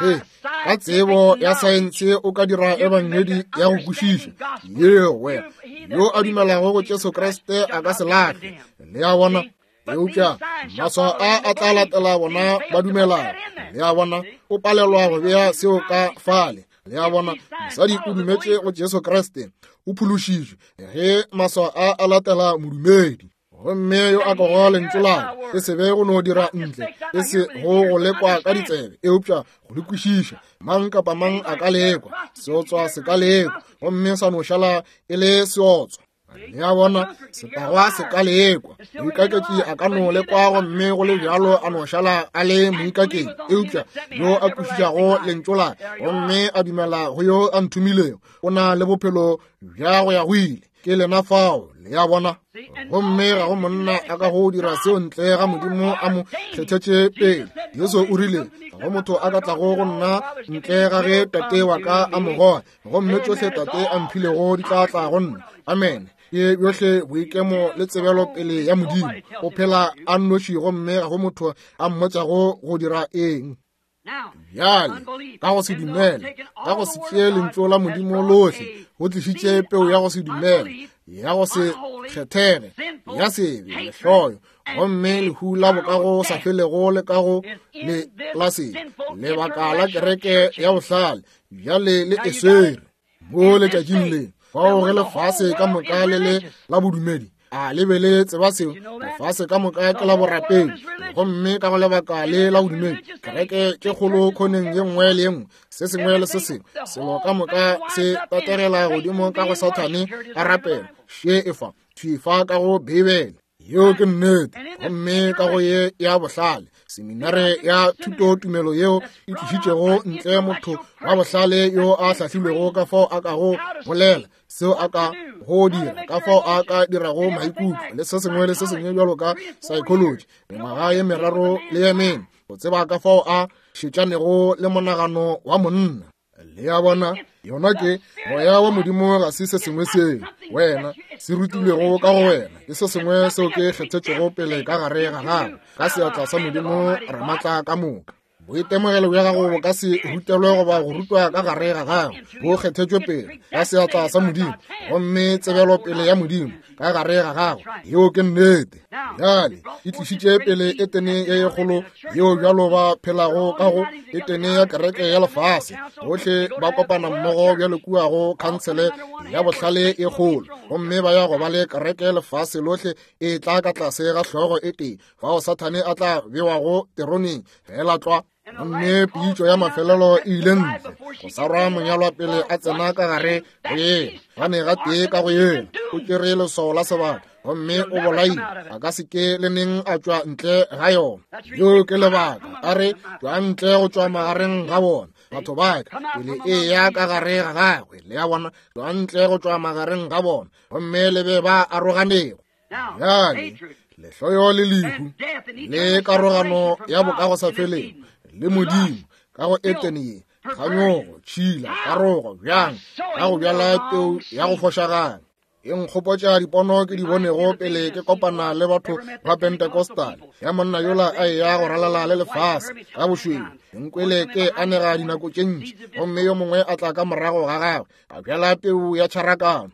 Ge ka tsebo ya saense o ka dira ebangedi ya go kwešiša yeo, wena yo a dumelago go Jesu Kriste a ka se lahle. Le a bona? Eupša maswao a a tla latela bona ba dumelago. Le a bona? O palelwa go bea seo ka fale. Le a bona? Mosadi o dumetše go Jesu Kriste, o phološitšwe ge maswao a a latela modumedi. Gomme yo a kwago lentšu la ka, e se be go no dira ntle, e se go go lekwa ka ditsebe, eupša go le kwešiša. Mang kapa mang a ka lekwa, seotswa se ka lekwa, gomme sa no šala e le seotswa. Le a bona, setagwa se ka lekwa, moikaketši a ka no lekwa, gomme go le bjalo a no šala a le moikaketši. Eupša yo a kwešišago lentšu la ka, gomme a dumela go yo a nthomilego, o na le bophelo bja go ya go ile. Ke lena fao, le a bona. Gomme ga go monna a ka go dira seo ntle ga Modimo a mo kgethetše pele. Jesu o rile, ga go motho a ka tlago go nna ntle ga ge Tate wa ka a mo goga, gomme tšohle Tate a mphilego di tla tla go nna. Amene. Ke bjohle boikemo le tsebelo pele ya Modimo. O phela a nnoši gomme ga go motho a mmotšago go dira eng. Bjale, ka go se dumele, ka go se tšee lentšu la Modimo lohle, go tlišitše peu ya go se dumele, ya go se kgethege, ya sebe, lehloyo, gomme lehu la bokago sa felego le ka go le la sebe, lebaka la kereke ya bohlale, bjale le e swere. Mo letšatšing le, fao ge lefase ka moka le le la bodumedi, a le be le tseba seo? Lefase ka moka ke la borapedi, gomme ka go lebaka le la bodumedi, kereke tše kgolo khoneng ye nngwe le ye nngwe, se sengwe le se sengwe, selo ka moka se tategela godimo ka go Sathane a rapela. Še e fa, thwi fa ka go Beibele. Yeo ke nnete. Gomme ka go ye ya bohlale, seminare ya thutotumelo yeo e tlišitšego ntle motho wa bohlale yo a hlahlilwego ka fao a kago bolela, seo a ka go dira, ka fao a ka dirago maikutlo, le se sengwe le se sengwe bjalo ka psychology, mengwaga ye meraro le ye mene. go tseba ka fao a šetšanego le monagano wa monna. Le a bona, yona ke moya wa Modimo, ga se se sengwe seo wena se rutilwego ka go wena, ke se sengwe seo ke kgethetšego pele ka gare ga gago ka seatla sa Modimo Ramatla ka moka. Boitemogelo bja gago bo ka se rutelwe goba go rutwa ka gare ga gago, bo kgethetšwe pele ka seatla sa Modimo, gomme tsebelo pele ya Modimo ka gare ga gago. Yeo ke nnete. Bjale e tlišitše pele Etene ye kgolo yeo bjalo ba phelago ka go Etene ya kereke ya lefase. Bohle ba kopana mmogo bjalo kua go khansele ya bohlale e kgolo, gomme ba ya go ba le kereke lefase lohle e tla ka tlase ga hlogo e tee, fao Sathane a tla bewago teroneng fela tlwa. Gomme pitšo ya mafelelo e ile ntle go sarwa monyalwa pele a tsena ka gare go yena, gane ga tee ka go yena o tšere leswao la sebaka gomme o bolaile, a ka se ke le neng a tšwa ntle ga yona. Yo ke lebaka a re tšwa ntle go tšwa magareng ga bona batho ba ka, pele e ya ka gare ga gagwe. Le a bona, tšwa ntle go tšwa magareng ga bona, gomme le be ba aroganego. Bjale lehloyo le lehu le karogano ya bokagosafelego le Modimo ka go Etene ye, kganyogo, tšhila, karogo, bjang ka go bjala peu ya go fošagala. E nkgopotša dipono ke di bonego pele ke kopana le batho ba Pentecostal, ya monna yola a eya go ralala le lefase ka bošweu. Nkwele ke anega dinako tše ntši, gomme yo mongwe a tla ka morago ga gagwe a bjala peu ya tšharakano.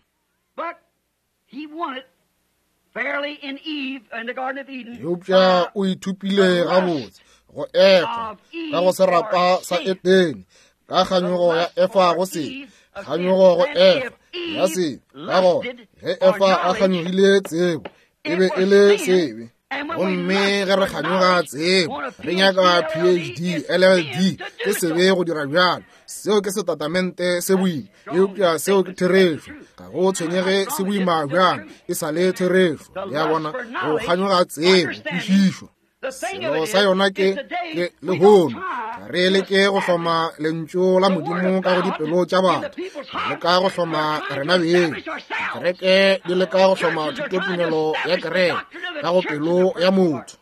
Eupša o ithupile gabotse go Efa ka go serapa sa Edene, ka kganyogo ya Efa go se kganyogo go Efa ya se. Ka gona ge Efa a kganyogile tsebo, e be e le sebe. Gomme ge re kganyoga tsebo, re nyaka PhD, LLD, ke sebe go dira bjalo. Seo ke setatamente se boima, eupša seo ke therešo. Ga go tshwenyege se boima bjang, e sa le therešo. Le a bona, go kganyoga tsebo, kwešišo. Selo sa yona ke lehono ga re leke go hloma lentšu la Modimo ka go dipelo tša batho, re leka go hloma rena beng. Kereke di leka go hloma thutotumelo ya kereke ka go pelo ya motho.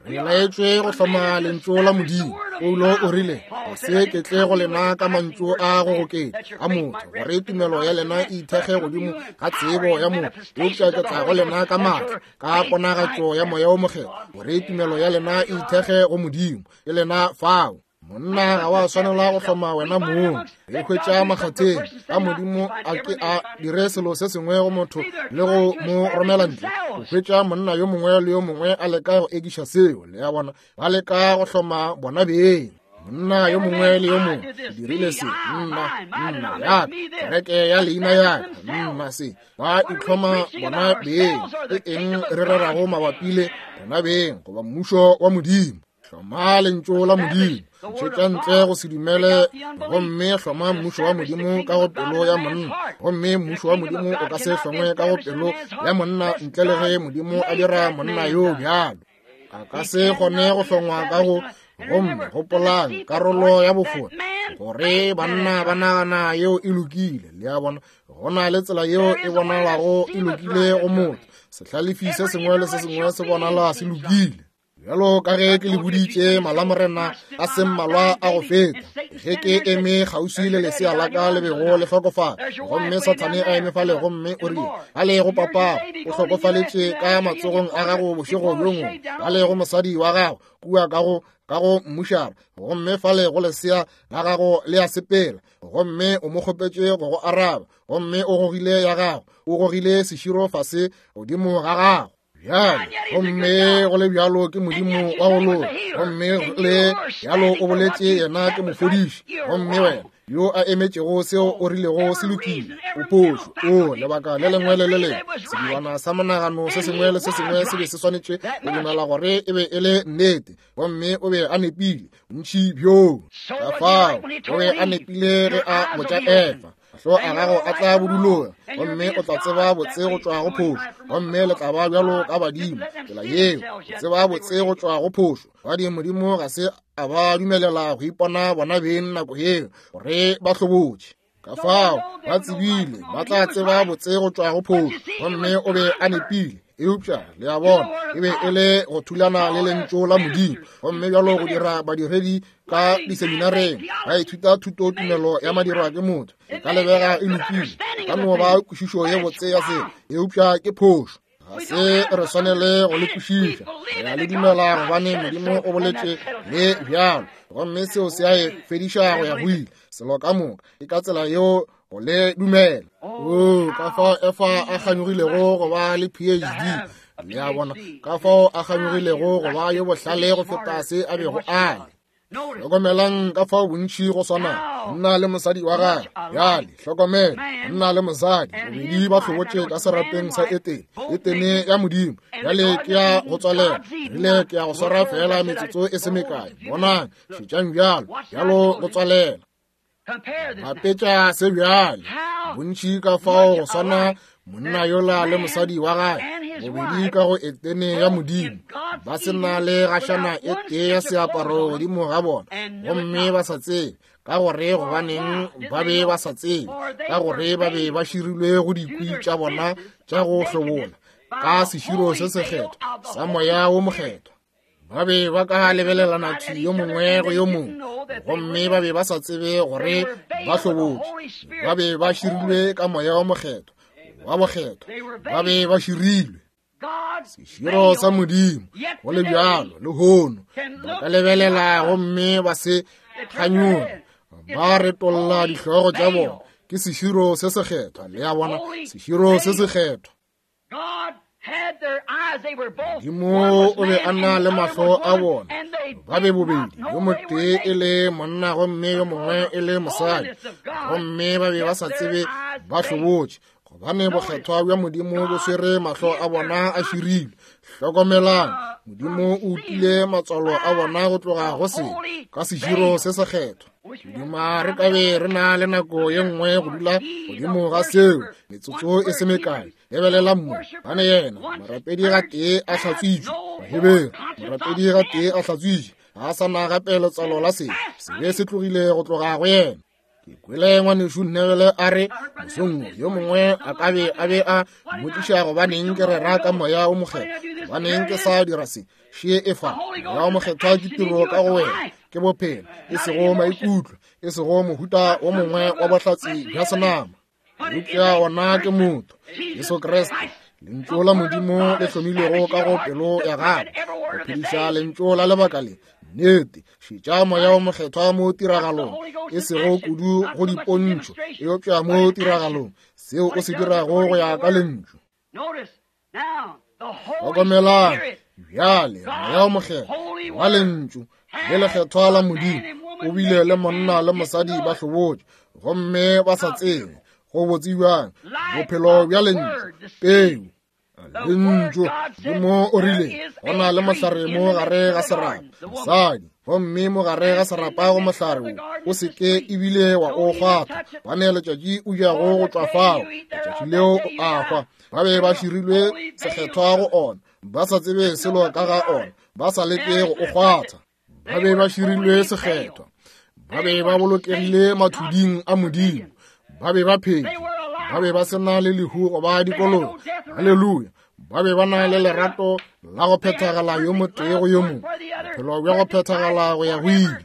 Re laetšwe go hloma lentšu la Modimo. Paulo o rile, ga se ke tle go lena ka mantšu a go goketša a motho, gore tumelo ya lena e ithekge godimo ga tsebo ya motho, eupša ke tla go lena ka maatla, ka ponagatšo ya Moya wo Mokgethwa, gore tumelo ya lena e ithekge go Modimo. Ke lena fao. Monna ga wa swanela go hloma wena mong. Re hwetša makgatheng a Modimo a ke a dire selo se sengwe go motho le go mo romela ntle. O hwetša monna yo mongwe le yo mongwe a leka go ekiša seo. Le a bona, ba leka go hloma bona beng. Monna yo mongwe le yo mongwe ke dirile se, nna, nna, ya ka, kereke ya leina ya ka, nna se. Ba itlhoma bona beng. Ke eng re rerago mabapi le rena beng goba mmušo wa Modimo? Hloma lentšu la Modimo, ntšhetša ntle go se dumele, gomme hloma mmušo wa Modimo ka go pelo ya monna. Gomme mmušo wa Modimo o ka se hlongwe ka go pelo ya monna ntle le ge Modimo a dira monna yo bjalo. A ka se kgone go hlongwa ka go. Gomme gopolang karolo ya bofora, gore banna ba nagana yeo e lokile. Le a bona, go na le tsela yeo e bonalago e lokile go motho. Sehlalefi se sengwe le se sengwe se bonala se lokile. Bjalo ka ge ke le boditše malamorena a se mmalwa a go feta, ge ke eme kgauswi le lesea la ka le bego le hlokofala, gomme Sathane a eme fale gomme o rile, ba le go papa o hlokofaletše ka matsogong a gago bošego bjo bongwe, ba le go mosadi wa gago kua ka go ka go mmušara, gomme fale go lesea la gago le a sepela, gomme o mo kgopetše go go araba, gomme o gogile ya gago, o gogile seširo fase godimo ga gago. Bjale, gomme go le bjalo ke Modimo wa go loka, gomme le bjalo o boletše yena ke mofodiši, gomme wena yo a emetšego seo o rilego se lokile, o phošo. O lebaka le lengwe le le lengwe, sedibana sa monagano se sengwe le se sengwe se be se swanetše go dumela gore e be e le nnete, gomme o be a nepile bontši bjoo. Ka fao o be a nepile ge a botša Efa, mahlo a gago a tla buduloga, gomme o tla tseba botse go tšwa go phošo, gomme le tla ba bjalo ka badimo. Tsela yeo, go tseba botse go tšwa go phošo. Gadi Modimo ga se a ba dumelela go ipona bona beng nako yeo, gore ba hlobotše. Ka fao ba tsebile ba tla tseba botse go tšwa go phošo, gomme o be a nepile. Eupša, le a bona, e be e le go thulana le Lentšu la Modimo. Gomme bjalo go dira badiredi ka diseminareng, ba ithuta thuto tumelo ya madirwa ke motho. E ka lebega e lokile, ka no ba kwešišo ye botse ya selo, eupša ke phošo. Ga se re swanele go le kwešiša. Re a le dumela gobane Modimo o boletše le bjalo, gomme seo se a e fediša go ya go ile. Selo ka moka ke ka tsela yeo go le dumela. O ka fao Efa a kganyogilego go ba le PhD, le a bona, ka fao a kganyogilego go ba yo bohlale go feta se a bego a le. Hlokomelang ka fao bontši go swana monna le mosadi wa gagwe. Bjale hlokomela, monna le mosadi bobedi ba hlobotše ka serapeng sa Etene, Etene ya Modimo. Bjale ke ya go tswalela, rile ke ya go swara feela metsotso e se mekae. Bonang, šetšang bjalo, bjalo go tswalela. Bapetša se bjale, bontši ka fao go swana monna yola le mosadi wa gagwe bobedi ka go Etene ya Modimo, ba se na le gašana e tee ya seaparo godimo ga bona, gomme ba sa tsebe ka gore gobaneng ba be ba sa tsebe, ka gore ba be ba širilwe go dikwi tša bona tša go hlobola ka seširo se sekgethwa sa Moya wo Mokgethwa. Ba be ba ka lebelelana thwi yo mongwe go yo mongwe, gomme ba be ba sa tsebe gore ba hlobotše. Ba be ba širilwe ka Moya wa Mokgethwa, wa bokgethwa. Ba be ba širilwe. Seširo sa Modimo, go le bjalo, lehono, ba ka lebelela gomme ba se kganyoge, ba retolla dihlogo tša bona. Ke seširo se sekgethwa, le a bona, seširo se sekgethwa. Modimo o be a na le mahlo a bona, ba be bobedi, yo motee e le monna gomme yo mongwe e le mosadi, gomme ba be ba sa tsebe ba hlobotše, gobane bokgethwa bja Modimo bo swere mahlo a bona a širilwe. Hlokomelang, Modimo o utile matswalo a bona go tloga go se ka seširo se sekgethwa. Duma re ka be re na le nako ye nngwe go dula godimo ga seo metsotso e se mekae. Lebelela mo, bane yena morapedi ga tee a hlatswitšwe, Baheberu, morapedi ga tee a hlatswitšwe, ga a sa na gape letswalo la sebe, sebe se tlogile go tloga go yena. Ke kwele ngwanešu Neville a re mosong yo mongwe a ka be a be a mmotšiša gobaneng ke rera ka Moya wo Mokgethwa, gobaneng ke sa dira se. Še e fa, Moya wo Mokgethwa ke tiro ka go wena, ke bophelo, e sego maikutlo, e sego mohuta wo mongwe wa bohlatse bja senama. Eupša ona ke motho, Jesu Kriste, Lentšu la Modimo le hlomilwego ka go pelo ya gago, go phediša Lentšu la lebaka le. Nnete, šetša Moya wo Mokgethwa mo tiragalong, e sego kudu go dipontšho, eupša mo tiragalong, seo o se dirago go ya ka Lentšu. Hlokomelang bjale, Moya wo Mokgethwa wa Lentšu le lekgethwa la Modimo o bile le monna le mosadi ba hlobotše gomme ba sa tsebe go botse bjang bophelo bja Lentšu, peu Lentšu. Modimo o rile go na le mohlare mo gare ga serapa, mosadi, gomme mo gare ga serapa go mohlare wo o se ke ebile wa o kgwatha, gobane letšatši o jago go tšwa fao, letšatši leo o a hwa. Ba be ba širilwe sekgethwa go ona, ba sa tsebe selo ka ga ona, ba sa leke go o kgwatha. Ba be ba širilwe sekgethwa, ba be ba bolokegile mathuding a Modimo, ba be ba phetše, ba be ba se na le lehu goba dikolobe. Haleluya! Ba be ba na le lerato la go phethagala yo motee go yo mongwe, bophelo bja go phethagala go ya go ile.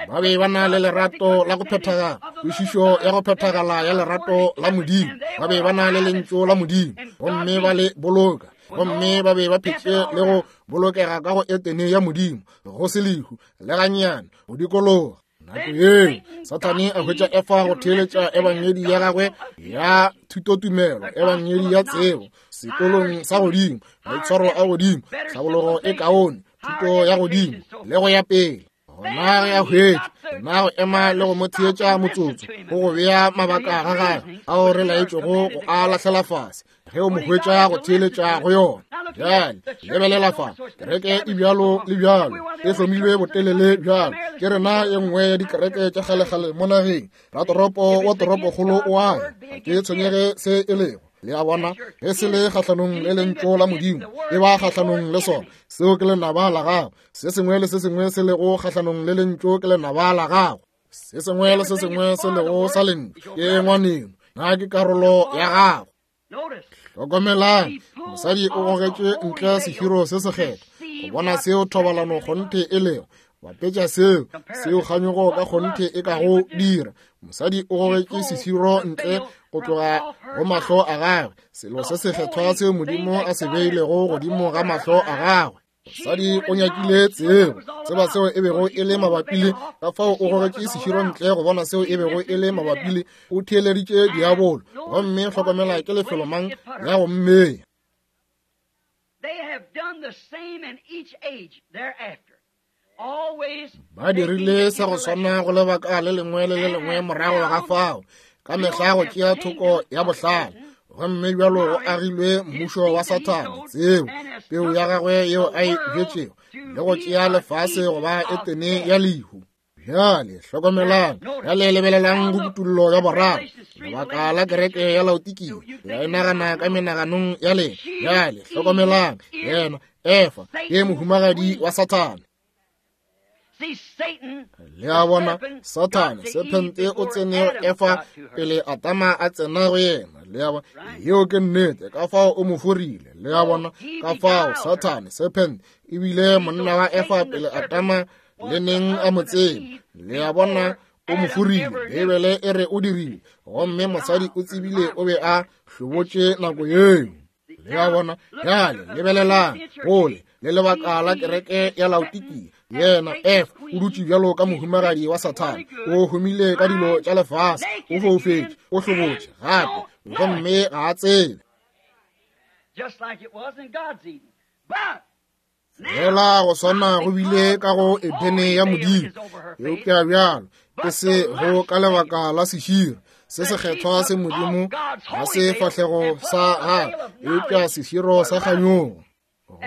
Ba be ba na le lerato la go phethagala, kwešišo ya go phethagala ya lerato la Modimo. Ba be ba na le Lentšu la Modimo, gomme ba le boloka, gomme ba be ba phetše le go bolokega ka go Etene ya Modimo, go se lehu le gannyane go dikologa. Nako yeo Sathane a hwetša Efa go theeletša ebangedi ya gagwe ya thutotumelo, ebangedi ya tsebo, sekolong sa godimo, maitshwaro a godimo, tlhabologo e kaone, thuto ya godimo, le go ya pele. Gona ge a hwetša yena go ema le go mo theetša motsotso, go go bea mabaka ga gagwe ao re laetšego go a lahlela fase, ge o mo hwetša go theeletša go yona. Bjale lebelela fa, kereke e bjalo le bjalo e hlomilwe botelele bjalo. Ke rena ye nngwe ya dikereke tša kgalekgale mo nageng. Ratoropo wa toropokgolo o a ya, ga ke tshwenyege se e lego. Le a bona, ge se le kgahlanong le Lentšu la Modimo, e ba kgahlanong le sona. Seo ke lenaba la gago. Se sengwe le se sengwe se lego kgahlanong le Lentšu ke lenaba la gago. Se sengwe le se sengwe se lego sa Lentšu ke ngwaneno. Na ke karolo ya gago. Hlokomelang, mosadi o gogetšwe ntle seširo se sekgethwa go bona seo thobalano kgonthe e lego. Bapetša seo, seo kganyogo ka kgonthe e ka go dira. Mosadi o gogetše seširo ntle go tloga go mahlo a gagwe, selo se sekgethwa seo Modimo a se beilego godimo ga mahlo a gagwe. Mosadi o nyakile tsebo, tseba seo e bego e le mabapi le, ka fao o gogetše seširo ntle go bona seo e bego e le mabapi le. O theeleditše diabolo, gomme hlokomela ke lefelo mang ya go mmeya. Ba dirile sa go swana go lebaka le lengwe le le lengwe morago ga fao, ka mehla go tšea thoko ya bohlale. Gomme bjalo go agilwe mmušo wa Sathane, tsebo, peu ya gagwe yeo a e bjetšego, le go tšea lefase go ba Etene ya lehu. Bjale hlokomelang, bjale lebelelang go kutullo ya boraro, lebaka la kereke ya Laodikia. Le a e nagana ka menaganong ya lena. Bjale hlokomelang, yena Efa ke mohumagadi wa Sathane. Le a bona, Sathane, sephente o tsene Efa pele Adama a tsena go yena. Le a bona, yeo ke nnete, ka fao o mo forile. Le a bona, ka fao Sathane, sephente, ebile monna wa Efa pele Adama le neng a mo tseba. Le a bona, o mo forile. Beibele e re o dirile, gomme mosadi o tsebile o be a hlobotše nako yeo. Le a bona, bjale lebelelang gole le lebaka la kereke ya Laodikia. Yena Efa o dutše bjalo ka mohumagadi wa Sathane, o humile ka dilo tša lefase, o foufetše, o hlobotše gape, gomme ga a tsebe. Fela go swana go bile ka go Edene ya Modimo, eupša bjalo e se go ka lebaka la seširo se sekgethwa se Modimo ga se fahlego sa gagwe, eupša seširo sa kganyogo.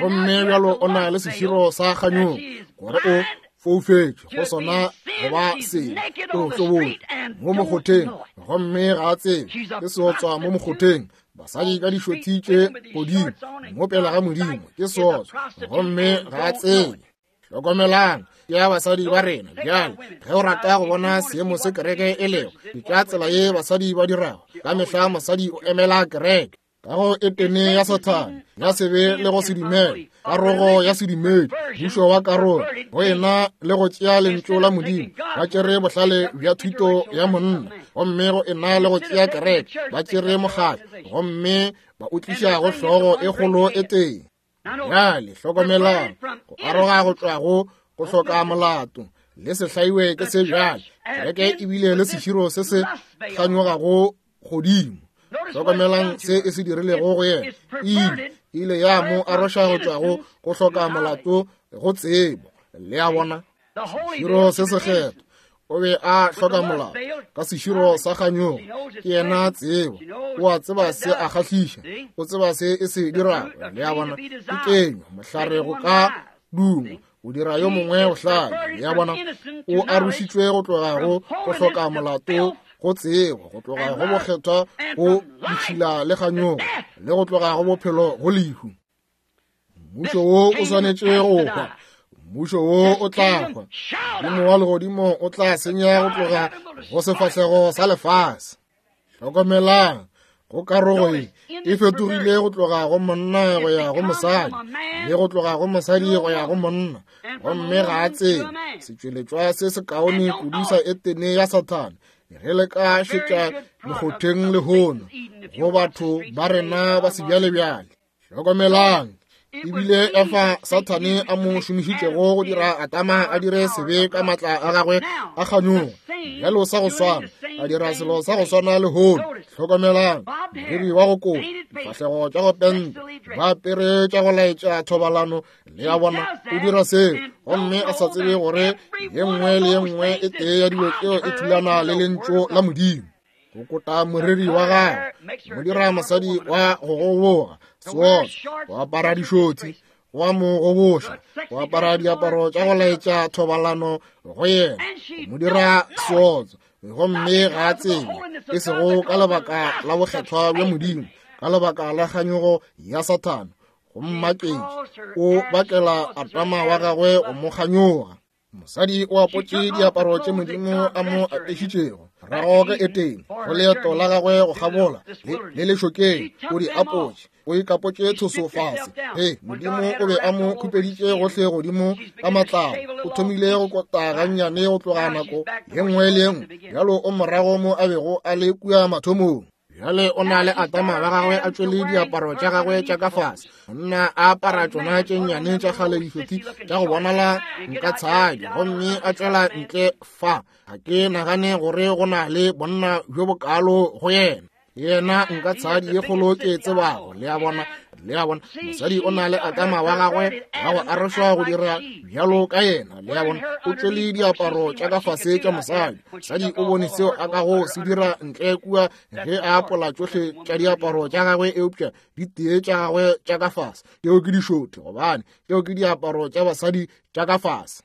Gomme bjalo o na le seširo sa kganyogo gore o foufetše go sona go ba sebe, o hlobotše mo mokgotheng gomme ga a tsebe ke seotswa mo mokgotheng. Basadi ka dišothi tše godimo mo pele ga Modimo ke seotswa gomme ga a tsebe. Hlokomelang, ke ya basadi ba rena bjale. Ge o rata go bona seemo se kereke e lego, ke ka tsela ye basadi ba dirago. Ka mehla mosadi o emela kereke. Ka go Etene ya Sathane, ya sebe le go se dumele, karogo ya sedumedi, mmušo wa karogo, go ena le go tšea lentšu la Modimo, ba tšere bohlale bja thuto ya monna, gomme go ena le go tšea kereke, ba tšere mokgatlo, gomme ba o tliša go hlogo e kgolo e tee. Bjale hlokomelang, go aroga go tšwa go go hloka molato le se hlaiwe ke se bjale. Kereke e bile le seširo se se kganyogago godimo. Hlokomelang se e se dirilego go yena. E ile ya mo aroša go tšwa go go hloka molato go tsebo. Le a bona, seširo se sekgethwa o be a hloka molao ka seširo sa kganyogo. Ke yena tsebo, o a tseba se a kgahliša, o tseba se e se dirago. Le a bona, ke kenywa mohlare go ka duma, o dira yo mongwe bohlale. Le a bona, o arošitšwe go tloga go go hloka molato go tsebo, go tloga go bokgethwa go ditšhila le kganyogo, le go tloga go bophelo go lehu. Mmušo wo o swanetše go hwa, mmušo wo o tla hwa. Modimo wa legodimo o tla senya go tloga go sefahlego sa lefase. Hlokomelang, go karogo ye e fetogile go tloga go monna go ya go mosadi, le go tloga go mosadi go ya go monna, gomme ga a tsebe setšweletšwa se sekaone kudu sa Etene ya Sathane. Ge le ka šetša mekgotheng lehono go batho ba rena ba sebjalebjale. Hlokomelang, ebile Efa Sathane a mo šomišitšego go dira Adama a dire sebe ka matla a gagwe a kganyogo. Bjalo sa go swana, a dira selo sa go swana lehono. Hlokomelang, moriri wa go kopa, difahlego tša go penta, ba apere tša go laetša thobalano, le a bona, o dira seo, gomme a sa tsebe gore ye nngwe le ye nngwe e tee ya dilo tšeo e thulana le lentšu la Modimo. Go kota moriri wa gagwe, mo dira mosadi wa go goboga, seotswa, go apara dišotsi, go a mo goboša, go apara diaparo tša go laetša thobalano go yena, go mo dira seotswa, gomme ga a tsebe, e sego ka lebaka la bokgethwa bja Modimo, ka lebaka la kganyogo ya Sathane, go mmaketša, o bakela Adama wa gagwe go mo kganyoga. Mosadi o apotše diaparo tše Modimo a mo apešitšego. Morago ka Etene, go leeto la gagwe go kgabola le lešokeng, o di apotše, o ikapotše tshoso fase. Ge Modimo o be a mo khupeditše gohle godimo ka matlalo, o thomile go kota gannyane go tloga nako ye nngwe le ye nngwe. Bjalo o morago mo a bego a le kua mathomong. Bjale o na le Adama wa gagwe a tšwele diaparo tša gagwe tša ka fase, monna a apara tšona tše nnyane tša kgale dihlothi tša go bonala nka tshadi, gomme a tšwela ntle fa. Ga ke nagane gore go na le bonna bjo bokalo go yena. Yena nka tshadi ye kgolo ke e tsebago, le a bona. Le a bona, mosadi o na le Adama wa gagwe wa go arošwa go dira bjalo ka yena. Le a bona, o tšwele diaparo tša ka fase tša mosadi. Mosadi o bone seo a kago se dira ntle kua ge a apola tšohle tša diaparo tša gagwe, eupša di tee tša gagwe tša ka fase tšeo ke dišothe, gobane tšeo ke diaparo tša basadi tša ka fase.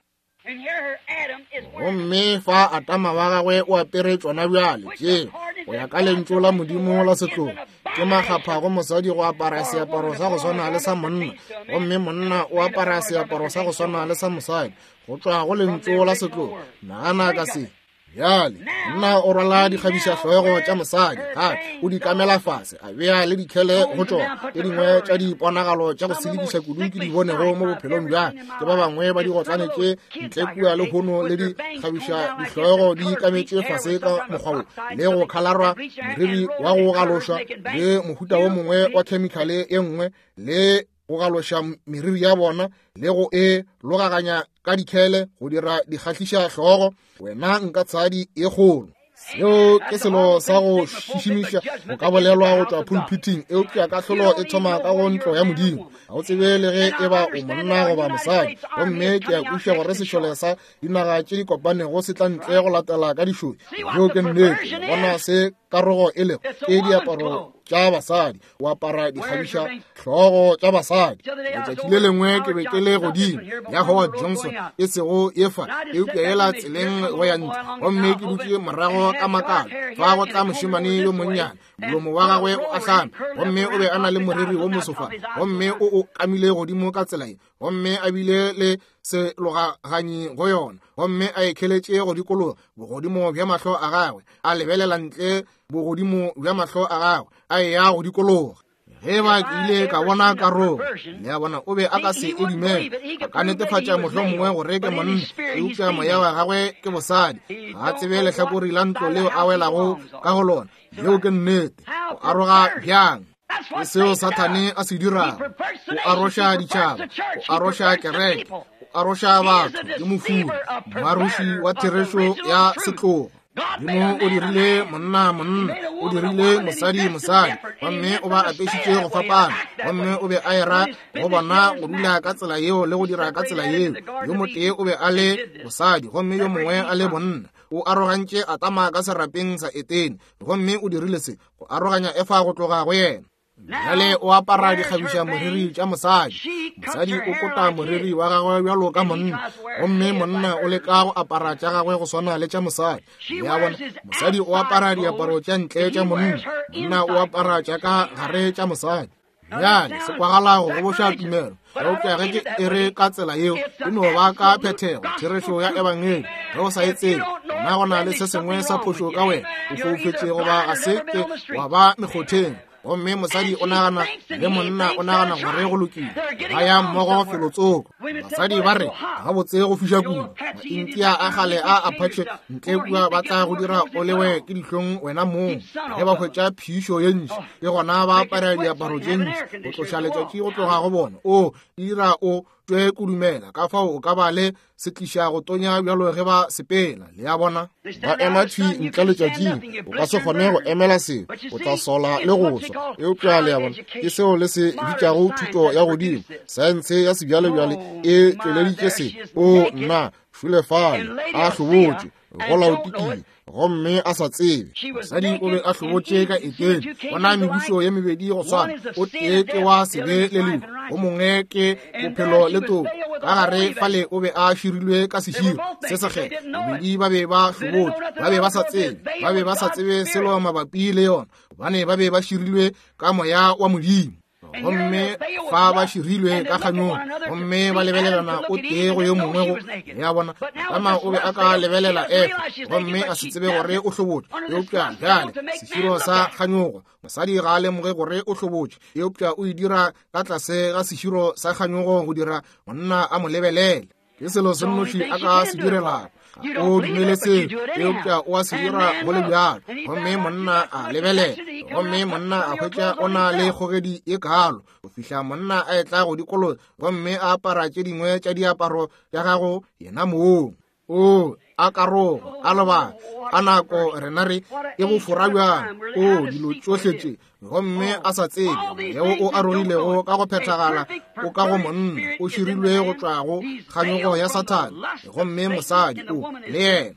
Gomme fa Adama wa gagwe o apere tšona bjale tše go ya ka lentšu la Modimo la setlogo, ke makgapha go mosadi go apara seaparo sa go swana le sa monna, gomme monna o apara seaparo sa go swana le sa mosadi go tšwa go lentšu la setlogo. Nagana ka se. Bjale monna o rwala dikgabišahlogo tša mosadi, gape o di kamela fase, a bea le dikhele go tšona. Tše dingwe tša diponagalo tša go selekiša kudu ke di bonego mo bophelong bja ke ba bangwe ba digotlane tše ntle kua lehono le dikgabiša dihlogo di kametše fase ka mokgwa wo, le go khalarwa moriri wa go galošwa le mohuta wo mongwe wa khemikhale ye nngwe, le go galoša meriri ya bona le go e logaganya ka dikhele go dira dikgahliša hlogo. Wena nka tshadi e kgolo. Seo ke selo sa go šišimiša go ka bolelwa go tšwa pulpiting, eupša kahlolo e thoma ka go ntlo ya Modimo. Ga o tsebe le ge e ba o monna goba mosadi. Gomme ke a kwešiša gore sešole sa dinaga tše di kopanego se tla ntle go latela ka dišoi. Yeo ke nnete. Bona se karogo e lego, ke diaparo tša basadi, o apara dikgabiša hlogo tša basadi. Letšatši le lengwe ke be ke le godimo ya Howard Johnson, e sego ye fa, eupša yela tseleng go ya ntle, gomme ke dutše morago ka makala. Fa go tla mošemane yo monnyane, molomo wa gagwe o ahlame, gomme o be a na le moriri wo mosofa, gomme o o kamile godimo ka tsela ye, gomme a bile le selogaganyi go yona, gomme a e kheletše go dikologa bogodimo bja mahlo a gagwe, a lebelela ntle bogodimo bja mahlo a gagwe, a eya go dikologa. Ge ba ke ile ka bona karogo, le a bona, o be a ka se e dumele. A ka netefatša mohlomongwe gore ke monna, eupša moya wa gagwe ke bosadi. Ga a tsebe lehlakori la ntlo leo a welago ka go lona. Yeo ke nnete. O aroga bjang? Ke seo Sathane a se dirago. O aroša ditšhaba, o aroša kereke, o aroša batho. Ke mofuri, moaroši wa therešo ya setlogo. Modimo o dirile monna monna, o dirile mosadi mosadi, gomme o ba apešitše go fapana, gomme o be a era go bona go dula ka tsela yeo le go dira ka tsela yeo. Yo motee o be a le bosadi gomme yo mongwe a le bonna. O arogantše Adama ka serapeng sa Etene, gomme o dirile se go aroganya Efa go tloga go yena. Bjale o apara dikgabiša moriri tša mosadi. Mosadi o kota moriri wa gagwe bjalo ka monna, gomme monna o leka go apara tša gagwe go swana le tša mosadi. Le a bona, mosadi o apara diaparo tša ntle tša monna, monna o apara tša ka gare tša mosadi. Bjale se kwagala go goboša tumelo, eupša ge ke e re ka tsela yeo, e no ba ka phethego therešo ya ebangedi. Ge o sa e tsebe, gona go na le se sengwe sa phošo ka wena, o foufetše goba ga se ke wa ba mekgotheng. Gomme mosadi o nagana le monna o nagana gore go lokile, ba ya mmogo felotsoko. Basadi ba re gabotse go fiša kudu, Maintia a kgale a Apache ntle kua ba tla go dira o lewe ke dihlong wena mong. Ge ba hwetša phišo ye ntši, ke gona ba apara diaparo tše ntši go tloša letšatši go tloga go bona. O dira o tšwe kudumela, ka fao o ka ba le se tliša go tonya bjalo ge ba sepela. Le a bona, ba ema thwi ntle letšatšing, o ka se kgone go emela seo, o tla sola le go swa. Eupša le a bona, ke seo le se bitšago thuto ya godimo, saense ya sebjalebjale e tšweleditše se. O nna, šule fale a hlobotše go laotikile gomme a sa tsebe. Mosadi o be a hlobotše ka Etene. Bona mebušo ye mebedi go swana, o tee ke wa sebe le lehu, o mongwe ke bophelo le toko. Ka gare fale o be a širilwe ka seširo se sekgethwa. Bobedi ba be ba hlobotše, ba be ba sa tsebe, ba be ba sa tsebe selo mabapi le yona, gobane ba be ba širilwe ka moya wa Modimo. Gomme fa ba širilwe ka kganyogo, gomme ba lebelelana o tee go yo mongwe go ya bona. Adama o be a ka lebelela Efa gomme a se tsebe gore o hlobotše, eupša bjale seširo sa kganyogo, mosadi ga a lemoge gore o hlobotše, eupša o e dira ka tlase ga seširo sa kganyogo go dira monna a mo lebelele. Ke selo se nnoši a ka se direlago. Ga o dumele seo, eupša o a se dira go le bjalo. Gomme monna a lebelela, gomme monna a hwetša o na le kgogedi e kalo, go fihla monna a etla go dikologa gomme a apara tše dingwe tša diaparo tša gago yena mong. O a karogo, a lebaka, a nako rena re e go fora bjang. O dilo tšohle tše, gomme a sa tsebe yeo o arogilego ka go phethagala o ka go monna, o širilwe go tšwa go kganyogo ya Sathane, gomme mosadi o le yena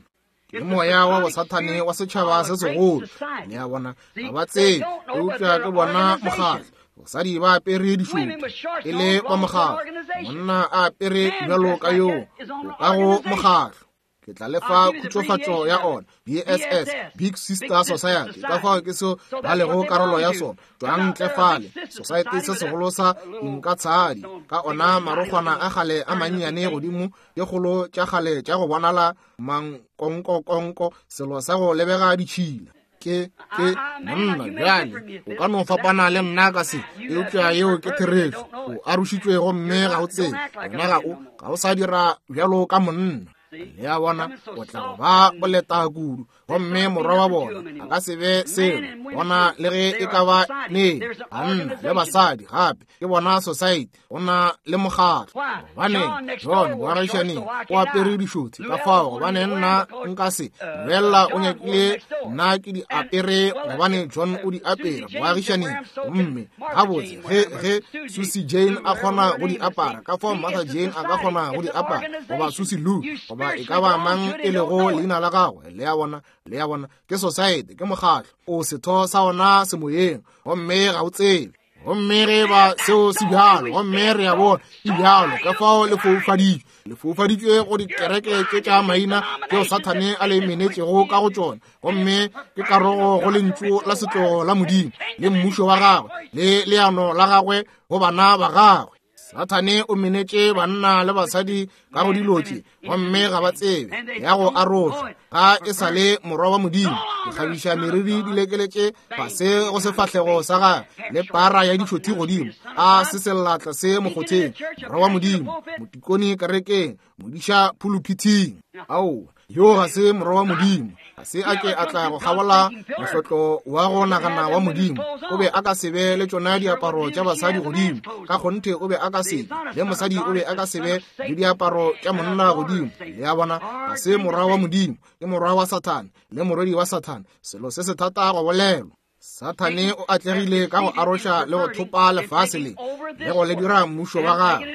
ke moya wa bosathane wa setšhaba se segolo. Le a bona, ga ba tsebe, eupša ke bona mokgatlo. Basadi ba apere dišothi e le ba mokgatlo, monna a apere bjalo ka yoo o ka go mokgatlo. Ke tla le fa khutsofatšo ya ona, BSS, Big Sister Society, ka fao ke seo ba lego karolo ya sona. Tšwang ntle fale, society se segolo sa dinkatshadi, ka ona marokgwana a kgale a mannyane godimo, tše kgolo tša kgale tša go bonala mankonkokonko, selo sa go lebega ditšhila. Ke, ke monna bjale, o ka no fapana le nna ka se, eupša yeo ke therešo. O arošitšwe gomme ga o tsebe, wena ga o, ga o sa dira bjalo ka monna. Le a bona, o tla go ba boleta kudu, gomme morwa wa bona a ka se be selo bona le ge e ka ba neng. Banna le basadi gape ke bona society, go na le mokgatlo. Gobaneng John boagišaneng o apere dišothi ka fao? Gobane nna nka se bolela o nyakile nna ke di apere, gobane John o di apere boagišaneng. Gomme gabotse ge, ge Susie Jane a kgona go di apara, ka fao Martha Jane a ka kgona go di apara, goba Susie Lou, goba e ka ba mang e lego leina la gagwe. Le a bona, le a bona, ke society, ke mokgatlo. O setho sa ona semoyeng, gomme ga o tsebe. Gomme ge ba seo se bjalo, gomme re a bona e bjalo, ka fao le foufaditšwe, le foufaditšwe go dikereke tše tša maina tšeo Sathane a le menetšego ka go tšona, gomme ke karogo go lentšu la setlogo la Modimo le mmušo wa gagwe le leano la gagwe go bana ba gagwe. Sathane o menetše banna le basadi ka go dilo tše, gomme ga ba tsebe ya go arošwa ga e sa le morwa wa Modimo. Dikgabiša meriri di lekeletše fase go sefahlego sa gagwe, le para ya dišothi godimo, a se sellatla se mokgotheng. Morwa wa Modimo, motikoni kerekeng, modiša phuluphithing. Aowa, yo ga se morwa wa Modimo. Ga se a ke a tla go kgabola mohlotlo wa go nagana wa Modimo. O be a ka se be le tšona diaparo tša basadi godimo. Ka kgonthe o be a ka se be. Le mosadi o be a ka se be le diaparo tša monna godimo. Le a bona, ga se morwa wa Modimo, ke morwa wa Sathane le morwedi wa Sathane. Selo se se thata go bolelwa. Sathane o atlegile ka go aroša le go thopa lefase le, le go le dira mmušo wa gagwe.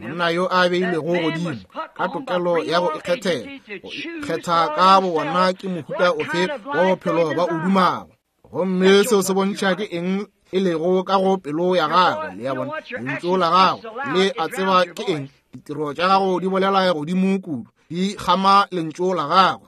Monna yo a beilwego godimo ka tokelo ya go ikgethela, go ikgetha ka bowona ke mohuta ofe wa bophelo ba o dumago. Gomme seo se bontšha ke eng e lego ka go pelo ya gagwe. Le a bona, lentšu la gagwe le a tseba ke eng. Ditiro tša gago di bolela godimo kudu, di kgama lentšu la gagwe.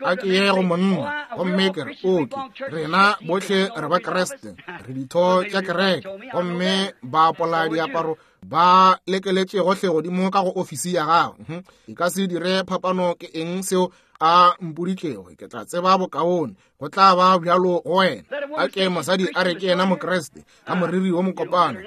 A ke ye go monna gomme ke re, oke, rena bohle re ba Kriste, re ditho tša kereke, gomme ba apola diaparo ba lekeletše gohle godimo ka go ofisi ya gagwe. E ka se dire phapano ke eng seo a mpoditšego, ke tla tseba bokaone. Go tla ba bjalo go wena. A ke mosadi a re ke yena Mokriste ka moriri wo mokopana.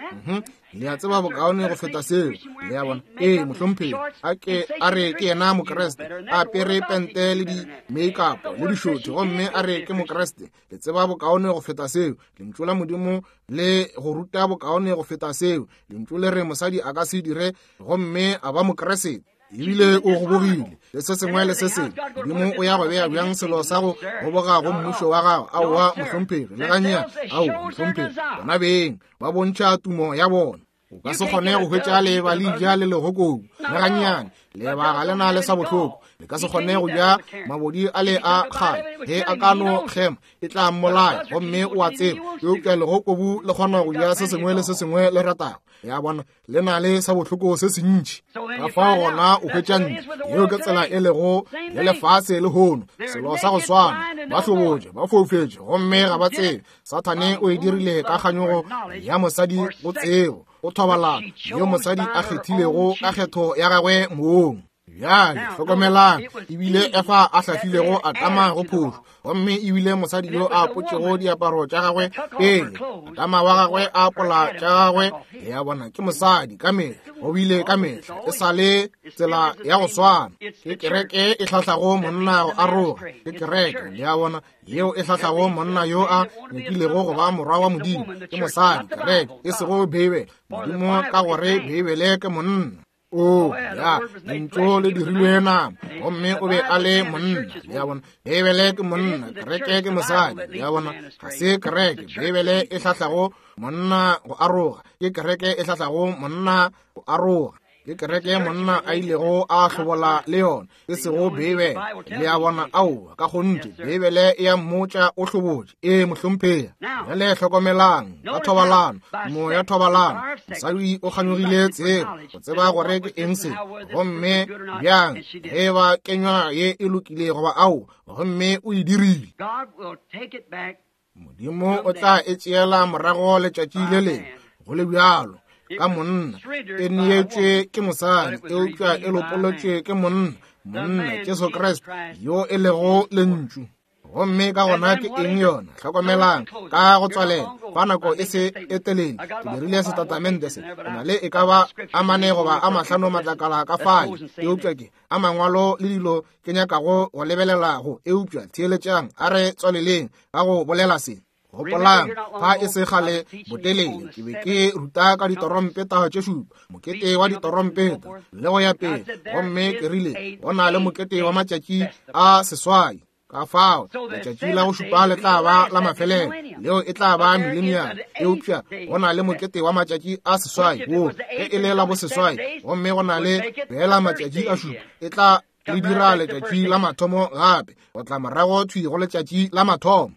Le a tseba bokaone go feta seo. Le a bona? Ee, mohlomphegi. A ke a re ke yena Mokriste, a apere pente le di-makeup le dišothi, gomme a re ke Mokriste. Le tseba bokaone go feta seo. Lentšu la Modimo le go ruta bokaone go feta seo. Lentšu le re mosadi a ka se dire gomme a ba Mokriste. Ebile o gobogile le se sengwe le se sengwe. Modimo o ya go bea bjang selo sa go goboga go mmušo wa gagwe? Aowa, mohlomphegi, le gannyane. Aowa, mohlomphegi. Bona beng ba bontšha tumo ya bona. O ka se kgone go hwetša leeba le ja le legokobu, le gannyane. Leeba ga le na le sa bohloko. Le ka se kgone go ja mabodi a le a kgale. Ge a ka no kgema, e tla mmolaya, gomme o a tseba. Eupša legokobu le kgona go ja se sengwe le se sengwe le ratago. Ya bona, le na le sa bohloko se sentši. Ka fao gona o hwetša ntle. Yeo ke tsela e lego le lefase lehono. Selo sa go swana, ba hlobotše, ba foufetše, gomme ga ba tsebe. Sathane o e dirile ka kganyogo ya mosadi go tsebo, go thobalano yeo mosadi a kgethilego ka kgetho ya gagwe mong. Bjale hlokomelang, ebile Efa a hlahlilego Adama go phošo, gomme ebile mosadi yo a apotšego diaparo tša gagwe pele Adama wa gagwe a apola tša gagwe. Le a bona, ke mosadi ka mehla, go bile ka mehla, e sa le tsela ya go swana. Ke kereke e hlahlago monna go aroga, ke kereke, le a bona, yeo e hlahlago monna yo a nyakilego go ba morwa wa Modimo. Ke mosadi, kereke, e sego Beibele. Modimo, ka gore Beibele ke monna. O, ya, Lentšu le dirilwe nama, gomme o be a le monna. Le a bona, Beibele ke monna, kereke ke mosadi. Le a bona, ga se kereke, Beibele e hlahlago monna go aroga, ke kereke e hlahlago monna go aroga. Ke kereke monna a ilego a hlobola le yona, e sego Beibele. Le a bona, aowa, ka kgonthe, Beibele e a mmotša o hlobotše. Ee, mohlomphegi. Bjale hlokomelang, ka thobalano, moya thobalano, mosadi o kganyogile tsebo, go tseba gore ke eng se, gomme bjang, ge ba kenywa ye e lokile goba aowa, gomme o e dirile. Modimo o tla e tšeela morago letšatši le lengwe, go le bjalo, ka monna. E neetšwe ke mosadi, eupša e lopolotšwe ke monna, monna Jesu Kriste, yo e lego Lentšu. Gomme ka gona ke eng yona? Hlokomelang, ka go tswalela, fa nako e se e telele, ke dirile setatamente se, ke na le e ka ba a mane goba a mahlano matlakala ka fale, eupša ke a mangwalo le dilo ke nyakago go lebelela go, eupša theeletšang, a re tswaleleng ka go bolela se. Gopolang, fa e se kgale botelele, ke be ke ruta ka ditorompeta tše šupa, mokete wa ditorompeta, le go ya pele, gomme ke rile go na le mokete wa matšatši a seswai. Ka fao letšatši la go šupa le tla ba la mafelelo, leo e tla ba mileniamo, eupša go na le mokete wa matšatši a seswai, wo ge e le la boseswai, gomme go na le feela matšatši a šupa, e tla le dira letšatši la mathomo gape, go tla morago thwi go letšatši la mathomo.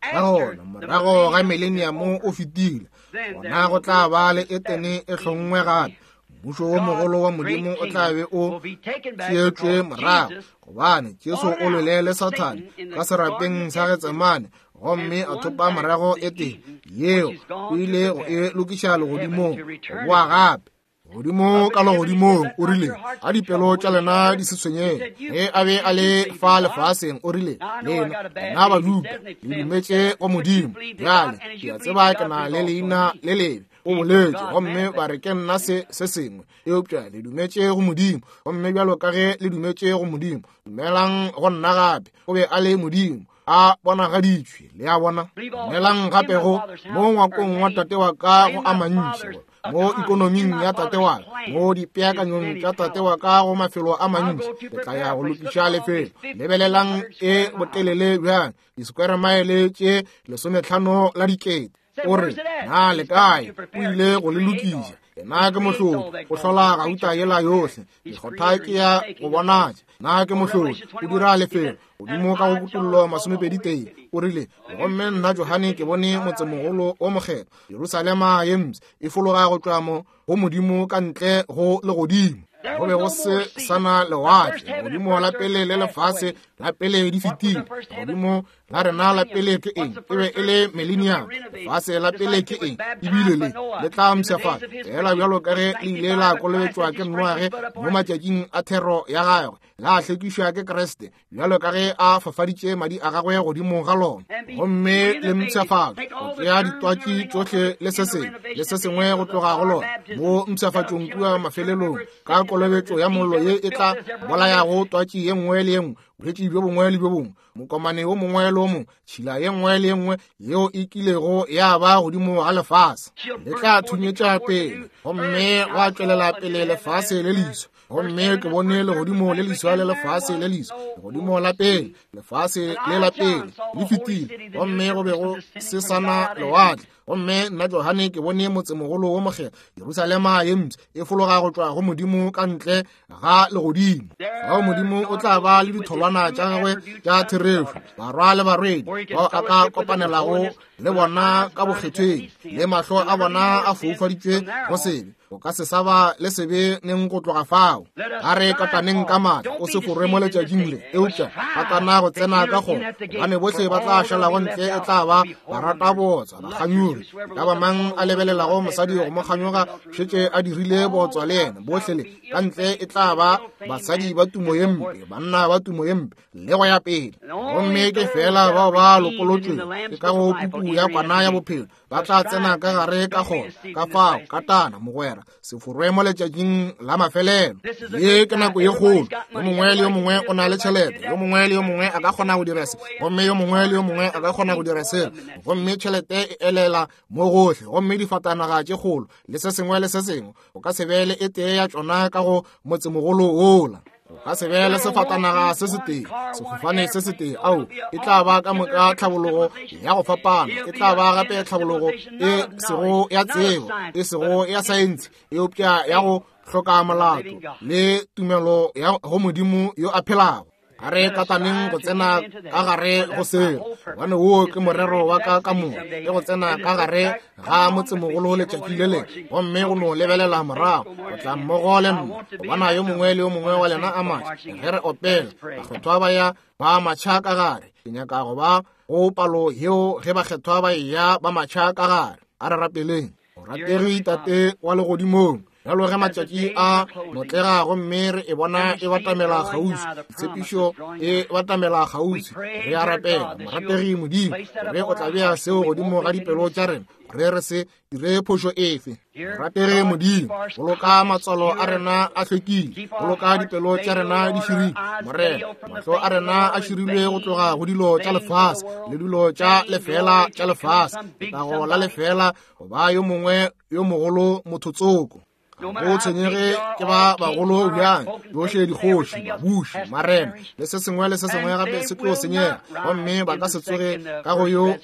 Ka gona morago ga mileniamo o fetile, gona go tla ba le Etene e hlonngwe gape. Mmušo wo mogolo wa Modimo o tla be o tšeetšwe morago, gobane Jesu o lwele le Sathane ka serapeng sa Getsemane, gomme a thopa morago Etene yeo, o ile go e lokiša legodimong, go boa gape godimo ka legodimong. O rile, a dipelo tša lena di se tshwenyege. Ge a be a le fa lefaseng, o rile, lena, lena Bajuda, le dumetše go Modimo. Bjale ke a tseba ke na le leina le lebe, o boletše, gomme ba re ke nna se se sengwe, eupša le dumetše go Modimo, gomme bjalo ka ge le dumetše go Modimo, dumelang go nna gape. O be a le Modimo a bonagaditšwe, le a bona. Dumelang gape go mo ngwakong wa tate wa ka go a mantši, mo ikonoming ya tate wa ka, mo dipeakanyong tša tate wa ka go mafelo a mantši, ke tla ya go lokiša lefelo. Lebelelang e botelele bjang, disekwere maele tše 15 la dikete. O re, na le kae? O ile go le lokiša. Yena ke mohlodi, o hlola gauta yela yohle. Mekgotha ke ya go bonatša. Na ke mohlodi, o dira lefelo. Godimo ka go Kutollo 21, o rile, gomme nna Johane ke bone motsemogolo o mokgethwa, Jerusalema ye mpsha, e fologa go tšwa mo go Modimo ka ntle go legodimo. Go be go se sana lewatle, godimo la pele le lefase la pele di fetile. Godimo la rena la pele ke eng? E be e le millennium. Lefase la pele ke eng? Ebile le le tla mpshafala fela bjalo ka ge le ile la kolobetšwa ke Noage mo matšatšing a thero ya gagwe, la hlwekišwa ke Kriste bjalo ka ge a fafaditše madi a gagwe godimo ga lona, gomme le mpshafala go tšea ditwatši tšohle le se sengwe le se sengwe go tloga go lona mo mpshafatšong kua mafelelong ka kolobetšo ya mollo ye e tla bolayago twatši ye nngwe le ye nngwe. Bolwetši bjo bongwe le bjo bongwe, mokomane wo mongwe le wo mongwe, tšhila ye nngwe le ye nngwe yeo e kilego ya ba godimo ga lefase, le tla thunyetša pele, gomme gwa tšwelela pele lefase le leswa. Gomme ke bone legodimo le leswa le lefase le leswa, legodimo la pele, lefase le la pele le fetile, gomme go be go se sa na lewatle. Gomme nna Johane ke bone motsemogolo wo mokgethwa, Jerusalema ye mpsha, e fologa go tšwa go Modimo ka ntle ga legodimo. Fao Modimo o tla ba le ditholwana tša gagwe tša therešo, barwa le barwedi bao a ka kopanelago le bona ka bokgethweng, le mahlo a bona a foufaditšwe go sebe. O ka se sa ba le sebe neng go tloga fao. A re kataneng ka maatla, o se forwe mo letšatšing le, eupša katana go tsena ka kgoro, gobane bohle ba tla šalago ntle e tla ba barata bootswa, bakganyogi. E ka ba mang a lebelelago mosadi go mo kganyoga šetše a dirile bootswa le yena. Bohle le ka ntle e tla ba basadi ba tumo ye mpe, banna ba tumo ye mpe, le go ya pele. Gomme ke feela bao ba lopolotšwego ke ka go puku ya kwana ya bophelo ba tla tsena ka gare ka kgoro. Ka fao katana, mogwera, se forwe mo letšatšing la mafelelo. Ye ke nako ye kgolo. Yo mongwe le yo mongwe o na le tšhelete, yo mongwe le yo mongwe a ka kgona go dira se, gomme yo mongwe le yo mongwe a ka kgona go dira sela, gomme tšhelete e elela mo gohle, gomme difatanaga tše kgolo le se sengwe le se sengwe, o ka se be le e tee ya tšona ka go motsemogolo wola. O ka se be le sefatanaga se setee, sefofane se setee. Ao, e tla ba ka moka tlhabologo ya go fapana, e tla ba gape tlhabologo e sego ya tsebo, e sego ya saense, eupša ya go hloka molato le tumelo ya go Modimo yo a phelago. A re kataneng go tsena ka gare go seo, gobane woo ke morero wa ka ka moka, ke go tsena ka gare ga motsemogolo letšatši le lengwe, gomme go no lebelela morago go tla mmogo le nna, go bona yo mongwe le yo mongwe wa lena a matšha ge re opela bakgethwa ba ya ba matšha ka gare. Ke nyaka go ba go palo yeo ge bakgethwa ba eya ba matšha ka gare. A re rapeleng. Morategi Tate wa legodimong, bjalo ge matšatši a notlega gomme re e bona e batamela kgauswi, tshepišo e batamela kgauswi, re a rapela, morategi Modimo, gore o tla bea seo godimo ga dipelo tša rena, gore re se dire phošo efe. Morategi Modimo, boloka matswalo a rena a hlwekile, boloka dipelo tša rena di širilwe, Morena, mahlo a rena a širilwe go tloga go dilo tša lefase le dilo tša lefela tša lefase, letago la lefela, goba yo mongwe yo mogolo mothotsoko. Ga go tshwenyege ke ba bagolo bjang, tšohle dikgoši, babuši, marena le se sengwe le se sengwe gape se tlo senyega, gomme ba ka se tsoge ka go yo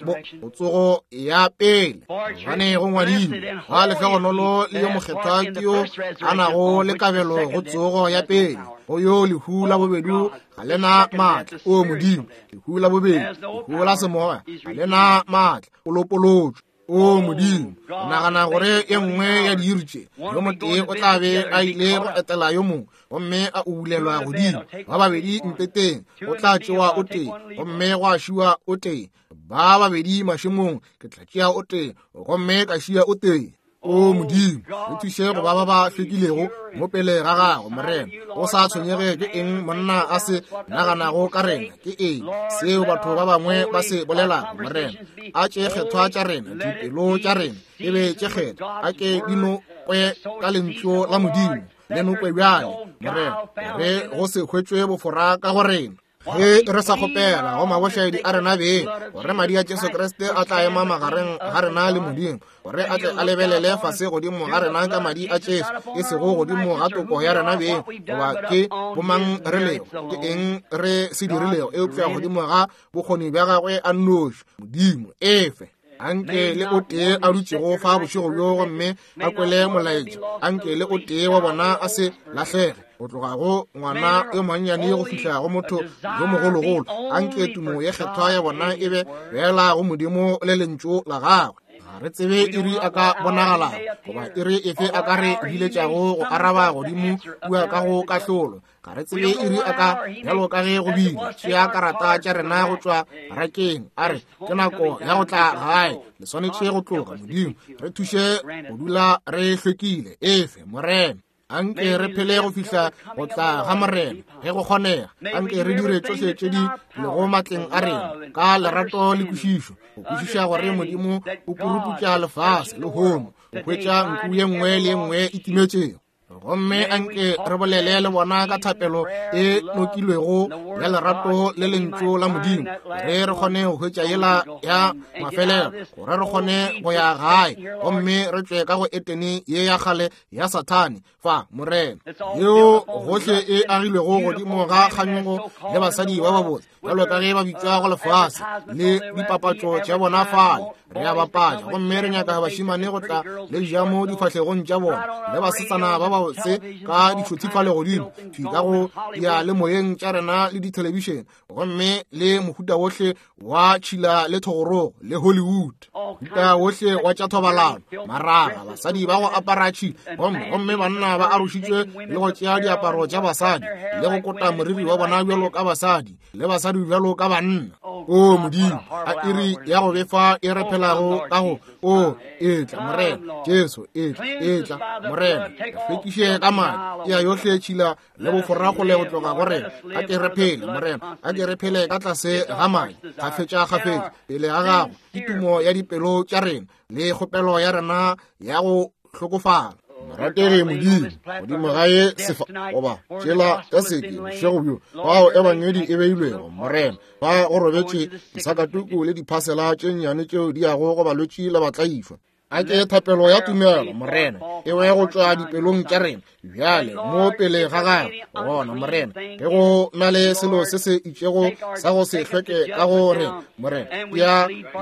tsogo ya pele. Gobane go ngwadilwe, wa lehlogonolo le yo mokgethwa ke yo a nago le kabelo go tsogo ya pele, go yo lehu la bobedi ga le na maatla. O Modimo, lehu la bobedi, lehu la semoya ga le na maatla, o lopolotšwe. O Modimo, o nagana gore e nngwe ya diiri tše yo motee o tla be a ile go etela yo mongwe gomme a ubulelwa godimo, ba babedi mpeteng o tla tšewa o tee gomme gwa šiwa o tee, ba babedi mašemong ke tla tšea o tee gomme ka šia o tee. O Modimo, re thuše go ba ba ba hlwekilego mo pele ga gago, Morena. O sa tshwenyege ke eng monna a se naganago ka rena, ke eng seo batho ba bangwe ba se bolelago, Morena. A tše kgethwa tša rena, dipelo tša rena e be tše kgethwa, a ke di nokwe ka lentšu la Modimo, le nokwe bjale, Morena, gore go se hwetšwe bofora ka go rena. Ge re sa kgopela go mabošaedi a rena beng, gore madi a Jesu Kriste a tla ema magareng ga rena le Modimo, gore a tle a lebelele fase godimo ga rena ka madi a Jesu, e sego godimo ga toko ya rena beng, goba ke bomang re lego, ke eng re se dirilego, eupša godimo ga bokgoni bja gagwe a nnoši. Modimo, efe. Anke le o tee a dutšego fa bošego bjo gomme a kwele molaetša, anke le o tee wa bona a se lahlege, go tloga go ngwana yo monnyane go fihla go motho yo mogologolo. Anke tumo ye kgethwa ya bona e be fela go Modimo le lentšu la gagwe. Ga re tsebe iri a ka bonagalago, goba iri efe a ka re biletšago go araba godimo kua ka go kahlolo. Ga re tsebe iri a ka, bjalo ka ge go bile, tšea karata tša rena go tšwa rakeng, a re ke nako ya go tla gae, le swanetše go tloga. Modimo, re thuše go dula re hlwekile. Efe, Morena. Anke re phele go fihla go tla ga Morena, ge go kgonega. Anke re dire tšohle tše di lego matleng a rena ka lerato le kwešišo, go kwešiša gore Modimo o puruputša lefase lehono go hwetša nku ye nngwe le ye nngwe e timetšego. Gomme anke re bolele le bona ka thapelo e nokilwego ya lerato le lentšu la Modimo, gore re kgone go hwetša yela ya mafelelo, gore re kgone go ya gae gomme re tšwe ka go Etene ye ya kgale ya Sathane fa, Morena, yeo gohle e agilwego godimo ga kganyogo le basadi ba babotse bjalo ka ge ba bitšwa go lefase le dipapatšo tša bona fale. Re a bapatša gomme re nyaka bašimane go tla le dijamo difahlegong tša bona le basetsana ba babotse ka ditšhothi fale godimo thwi ka go diyalemoyeng tša rena le dithelebišene, gomme le mohuta wohle wa tšhila le thogorogo le Hollywood, mohuta wohle wa tša thobalano, maraga, basadi ba go apara tšhila, gomme banna ba arošitšwe le go tšea diaparo tša basadi le go kota moriri wa bona bjalo ka basadi le basadi bjalo ka banna. O Modimo, a iri ya go befa e re phelago ka go. O etla, Morena Jesu, etla, etla, Morena, re hlwekiše ka madi, ya yohle tšhila le bofora kgole go tloga go rena. A ke re phele, Morena, a ke re phele ka tlase ga madi kgafetša kgafetša pele ga gago, ke tumo ya dipelo tša rena le kgopelo ya rena ya go hlokofala. Morategi Modimo, godimo ga ye sefa goba tšela ka seke bošego bjo fao ebangedi e beilwego, Morena, fa go robetše disakatuku le diphasela tše nnyane tšeo di yago go balwetši le batlaišwa. A ke thapelo ya tumelo, Morena, e we go tšwa dipelong tša rena bjale mo pele ga gago. Gona, Morena, ge go na le selo se se itšego sa go se hlweke ka go rena, Morena,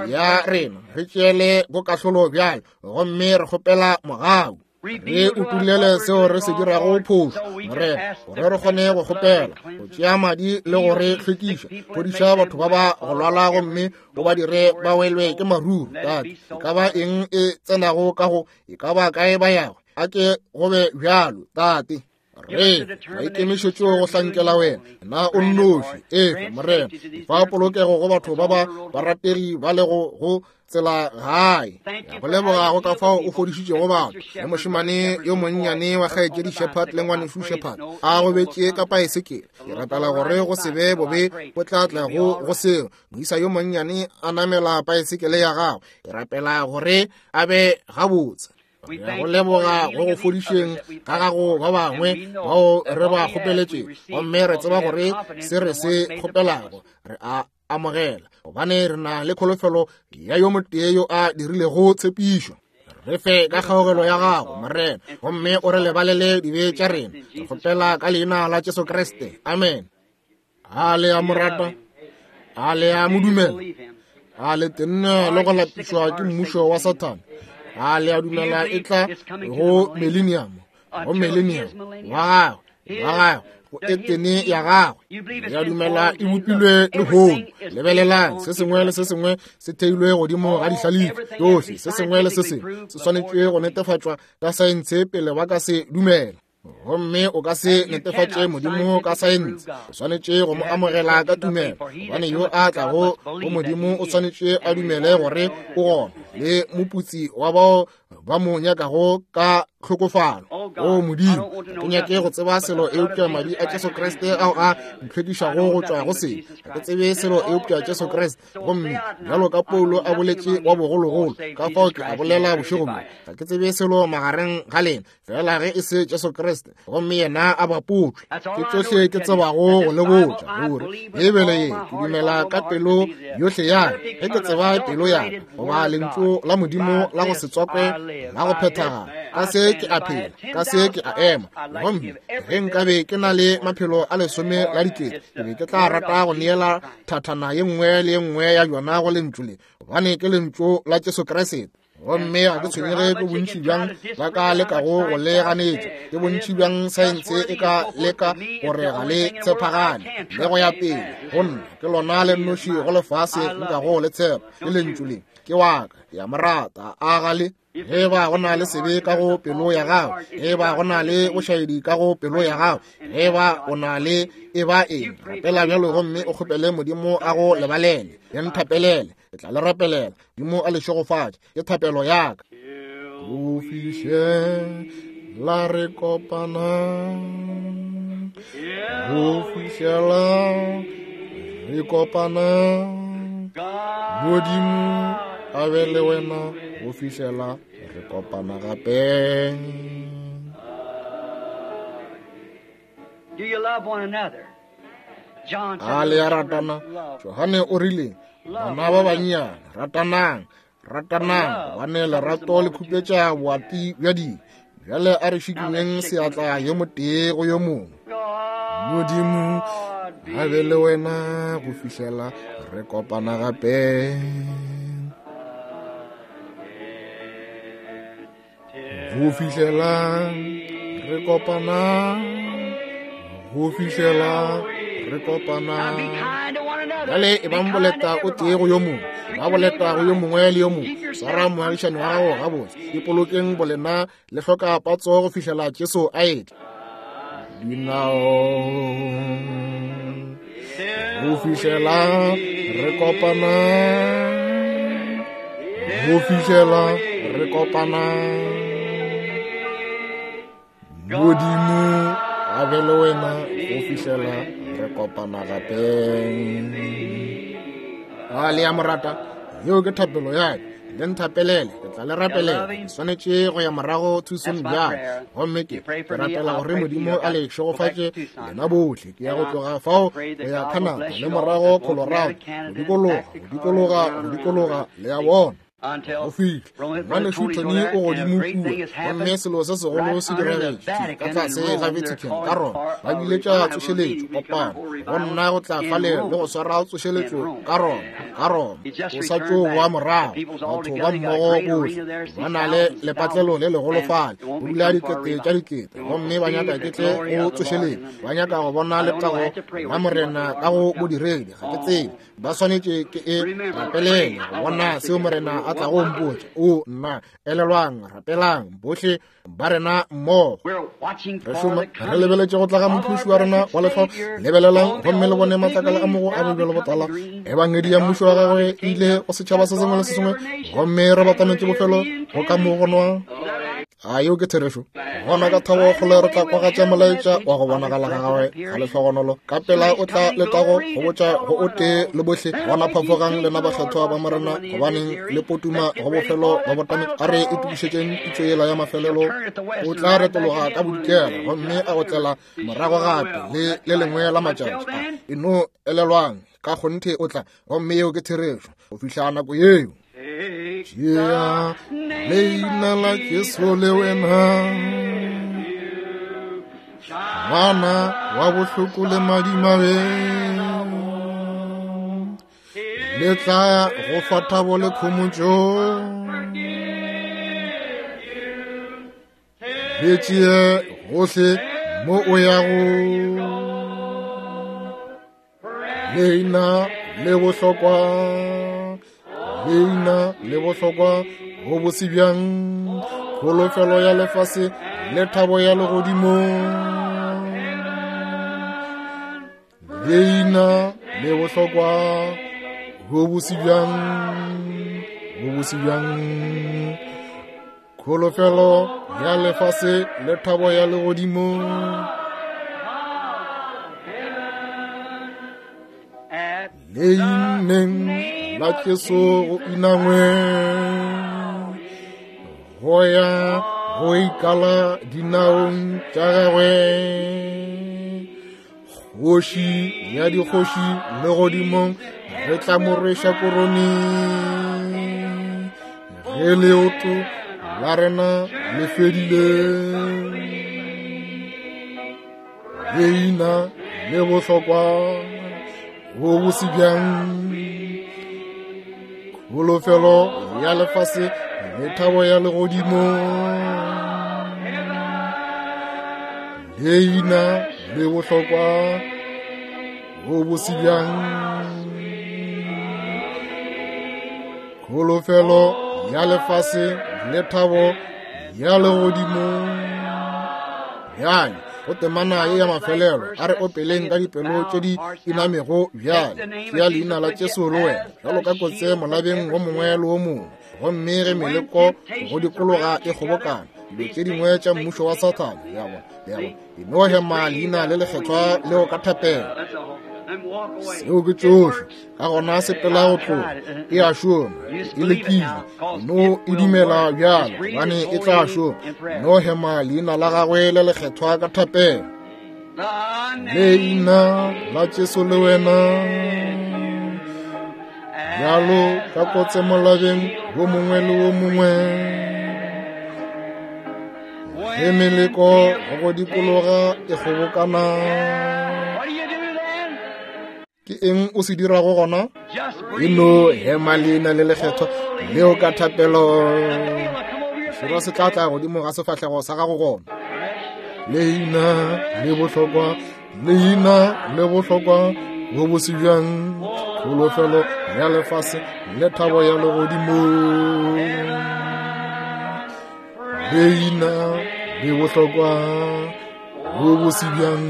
ya rena, re tšeele bokahlolo bjale, gomme re kgopela mogau. Re utullele seo re se dirago phošo, Morena, gore re kgone go kgopela go tšea madi le go re hlwekiša. Fodiša batho ba ba go lwala gomme o ba dire ba welwe ke maruru. Tate, e ka ba eng e tsenago ka go, e ka ba kae ba yago, a ke go be bjalo, Tate. Re maikemišetšo go hlankela wena, na o nnoši. Efa, Morena, fa polokego go batho ba ba barategi ba lego go tsela gae. Go leboga go ka fao o fodišitšego batho. Le mošemane yo monnyane wa kgaetšedi Shepherd le ngwanešu Shepherd a gobetše ka paesekele. Ke rapela gore go se be bobe bo tla tla go seo. Moisa yo monnyane a namela paesekele ya gagwe. Ke rapela gore a be gabotse. Re go leboga go go fodišeng ga gago ba bangwe bao re ba kgopeletše, gomme re tseba gore se re se kgopelago re a amogela, gobane re na le kholofelo ya yo motee yo a dirilego tshepišo. Re fe ka kgaogelo ya gago, Morena, gomme o re lebalele dibe tša rena. Re kgopela ka leina la Jesu Kriste, amen. A le a mo rata? A le a mo dumela? A le tenne le go lapišwa ke mmušo wa Sathane? A le a dumela e tla go millennium, go millennium wa gagwe, wa gagwe, go Etene ya gagwe? Le a dumela e bopilwe lehono? Lebelelang, se sengwe le se sengwe se theilwe godimo ga dihlalefi tšohle. Se sengwe le se sengwe se swanetšwe go netefatšwa ka saense pele ba ka se dumela. Gomme o ka se netefatše Modimo ka saense. O swanetše go mo amogela ka tumelo, gobane yo a tlago go Modimo o swanetše a dumele gore o gona, le moputsi wa bao ba mo nyakago ka tlhokofalo. O Modimo, ga ke nyake go tseba selo eupša madi a Jesu Kriste ao a ntlhwekišago go tšwa go sebe. Ga ke tsebe selo eupša Jesu Kriste. Gomme bjalo ka Paulo a boletše wa bogologolo, ka fao ke a bolela bošego bjo, ga ke tsebe selo magareng ga lena fela ge e se Jesu Kriste, gomme yena a bapotšwe. Ke tšohle ke tsebago go le botša, gore Beibele ye ke dumela ka pelo yohle ya ka, ge ke tseba pelo ya ka goba lentšu la Modimo la go se tswakwe la go phethagala. Ka se ke a phela, ka se ke a ema. Gomme ge nkabe ke na le maphelo a lesome la dikete, ke be ke tla rata go neela thathana ye nngwe le ye nngwe ya yona go lentšu le, gobane ke lentšu la Jesu Kriste. Gomme ga ke tshwenyege ke bontši bjang ba ka lekago go le ganetša, ke bontši bjang saense e ka leka gore ga le tshepagane le go ya pele, go nna ke lona le nnoši go lefase nkago le tshepa, ke lentšu le. Ke wa ka, ke a mo rata. A ga le? Ge ba go na le sebe ka go pelo ya gago, ge ba go na le bošaedi ka go pelo ya gago, ge ba o na le e ba eng, rapela bjalo gomme o kgopele Modimo a go lebalele. Le nthapelele, ke tla le rapelela. Modimo a le šegofatše, ke thapelo ya ka. Go fihlela re kopana, go fihlela re kopana, Modimo a be le wena go fihlela re kopana gape. A le a ratana? Johane o rile, bana ba bannyane, ratanang, ratanang, gobane lerato le khupetša boati bja dibe. Bjale a re šikinyeng seatla yo motee go yo mongwe. Modimo a be le wena go fihlela re kopana gape. Go fihlela re kopana, go fihlela re kopana. Bjale e bang boleta o tee go yo mongwe, ba boleta go yo mongwe le yo mongwe. Swara moagišani wa gago gabotse, ipolokeng bolena le hloka patso go fihlela Jesu a etla. Dinao go fihlela re kopana, go fihlela re kopana. Modimo a be le wena go fihlela re kopana gape. A le ya morata, yeo ke thapelo ya ka. Le nthapelele, ke tla le rapelela. Ke swanetše go ya morago Tucson bjale, gomme ke rapela gore Modimo a le šegofatše lena bohle. Ke ya go tloga fao go ya Canada le morago Colorado, go dikologa, go dikologa, go dikologa, le a bona. Go fihla ngwanešu Tony o godimo kua, gomme selo se segolo se diragetše ka tlase ga Vatican ka Roma. Ba biletša tsošeletšo kopano go nna go tla fale le go swara tsošeletšo ka Roma, ka Roma. O sa tšo boa morago, batho ba mmogo bohle ba na le lepatlelo le legolo fale, go dula dikete tša dikete, gomme ba nyaka ke tle go tsošeletšo, ba nyaka go bona letago la Morena ka go bodiredi. Ga ke tsebe, ba swanetše ke e rapelele go bona seo Morena a tlago mpotša. O nna, elelwang, rapelang bohle ba rena mmogo. Re šoma re lebeletše go tla ga Mophološi wa rena wa lehlo. Lebelelang gomme le bone matlakala a mogo a bobjalo botala. Ebangedi ya mmušo wa gagwe e ile go setšhaba se sengwe le se sengwe, gomme re batametše bofelo go ka mo go nwa. A yeo ke therešo? Gona ka thabo kgole re tla kwagatša molaetša wa go bonagala ga gagwe ga lehlogonolo. Ka pela o tla letago go botša go o tee le bohle. Gona phafogang lena bakgethwa ba Morena, gobaneng le potuma go bofelo ba botame. A re itokišetšeng pitšo yela ya mafelelo. O tla retologa ka bodikela gomme a otlela morago gape le le lengwe la matšatši a. E no elelwang, ka kgonthe o tla, gomme yeo ke therešo go fihla nako yeo. Tšea leina la Jesu le wena, ngwana wa bohloko le madimabe, le tla go fa thabo le khomotšo. Le tšee gohle mo o yago, leina le bohlokwa, leina le bohlokwa go bose bjang, kholofelo ya lefase le thabo ya legodimo. Leina le bohlokwa go bose bjang, go bose bjang, kholofelo ya lefase le thabo ya legodimo. Leineng la Jesu go inangwe, go ya go ikala dinaong tša gagwe. Kgoši ya dikgoši legodimong re tla mo rweša korone. Ge leoto la rena le fedile, leina le bohlokwa go bose bjang, kholofelo ya lefase le thabo ya legodimo. Leina le bohlokwa go bose bjang, kholofelo ya lefase le thabo ya legodimo. Bjale go temana ye ya mafelelo, a re opeleng ka dipelo tše di inamego bjale. Tšea leina la Jesu le wena bjalo ka kotse molabeng wo mongwe le wo mongwe, gomme ge meleko go dikologa e kgobokana, dilo tše dingwe tša mmušo wa Sathane, le a bona, le a bona, e no hema leina le lekgethwa leo ka thapelo. Seo ke tšohle. Ka gona sepela go tloga, e a šoma, e lekile, no e dumela bjalo, gobane e tla šoma. No hema leina la gagwe le lekgethwa ka thapelo. Leina la Jesu le wena bjalo ka kotse molabeng wo mongwe le wo mongwe. Ge meleko go go dikologa e kgobokana, ke eng o se dirago gona? E no hema leina le lekgethwa leo ka thapelo. Sero se tla tla godimo ga sefahlego sa gago gona. Leina le bohlokwa, leina le bohlokwa, bo bose bjang, kholofelo ya lefase le thabo ya legodimo. Leina le bohlokwa, bo bose bjang,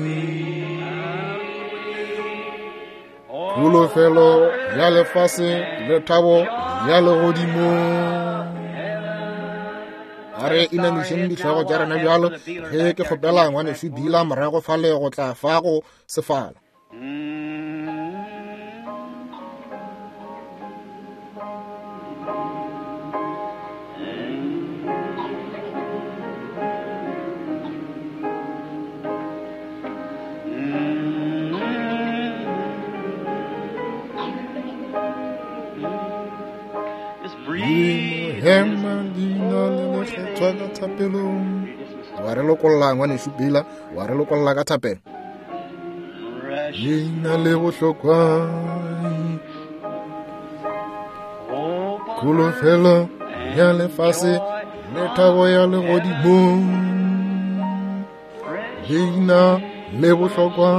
kholofelo ya lefase le thabo ya legodimo. A re inamišeng dihlogo tša rena bjalo ge ke kgopela ngwanešu Bila morago fale go tla fa go sefala. Hema leina le lekgethwa ka thapelong. Wa re lokolla ngwanešu Bila, wa re lokolla ka thapelo. Leina le bohlokwa, kholofelo ya lefase le thabo ya legodimo. Leina le bohlokwa,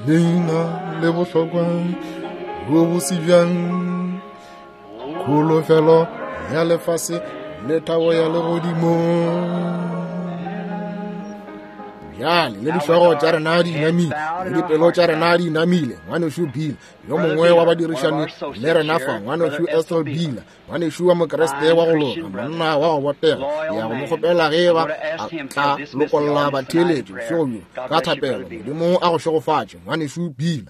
leina le bohlokwa, bo bose bjang, kholofelo ya lefase le thabo ya legodimo. Bjale le dihlogo tša rena di inamile, le dipelo tša rena di inamile. Ngwanešu Bill, yo mongwe wa badirišani le rena fa, ngwanešu Ethel Bill, ngwanešu wa Mokriste wa go loka, monna wa go botega, ya go mo kgopela ge ba a tla lokolla batheeletši bošego bjo ka thapelo. Modimo a go šegofatše, ngwanešu Bill.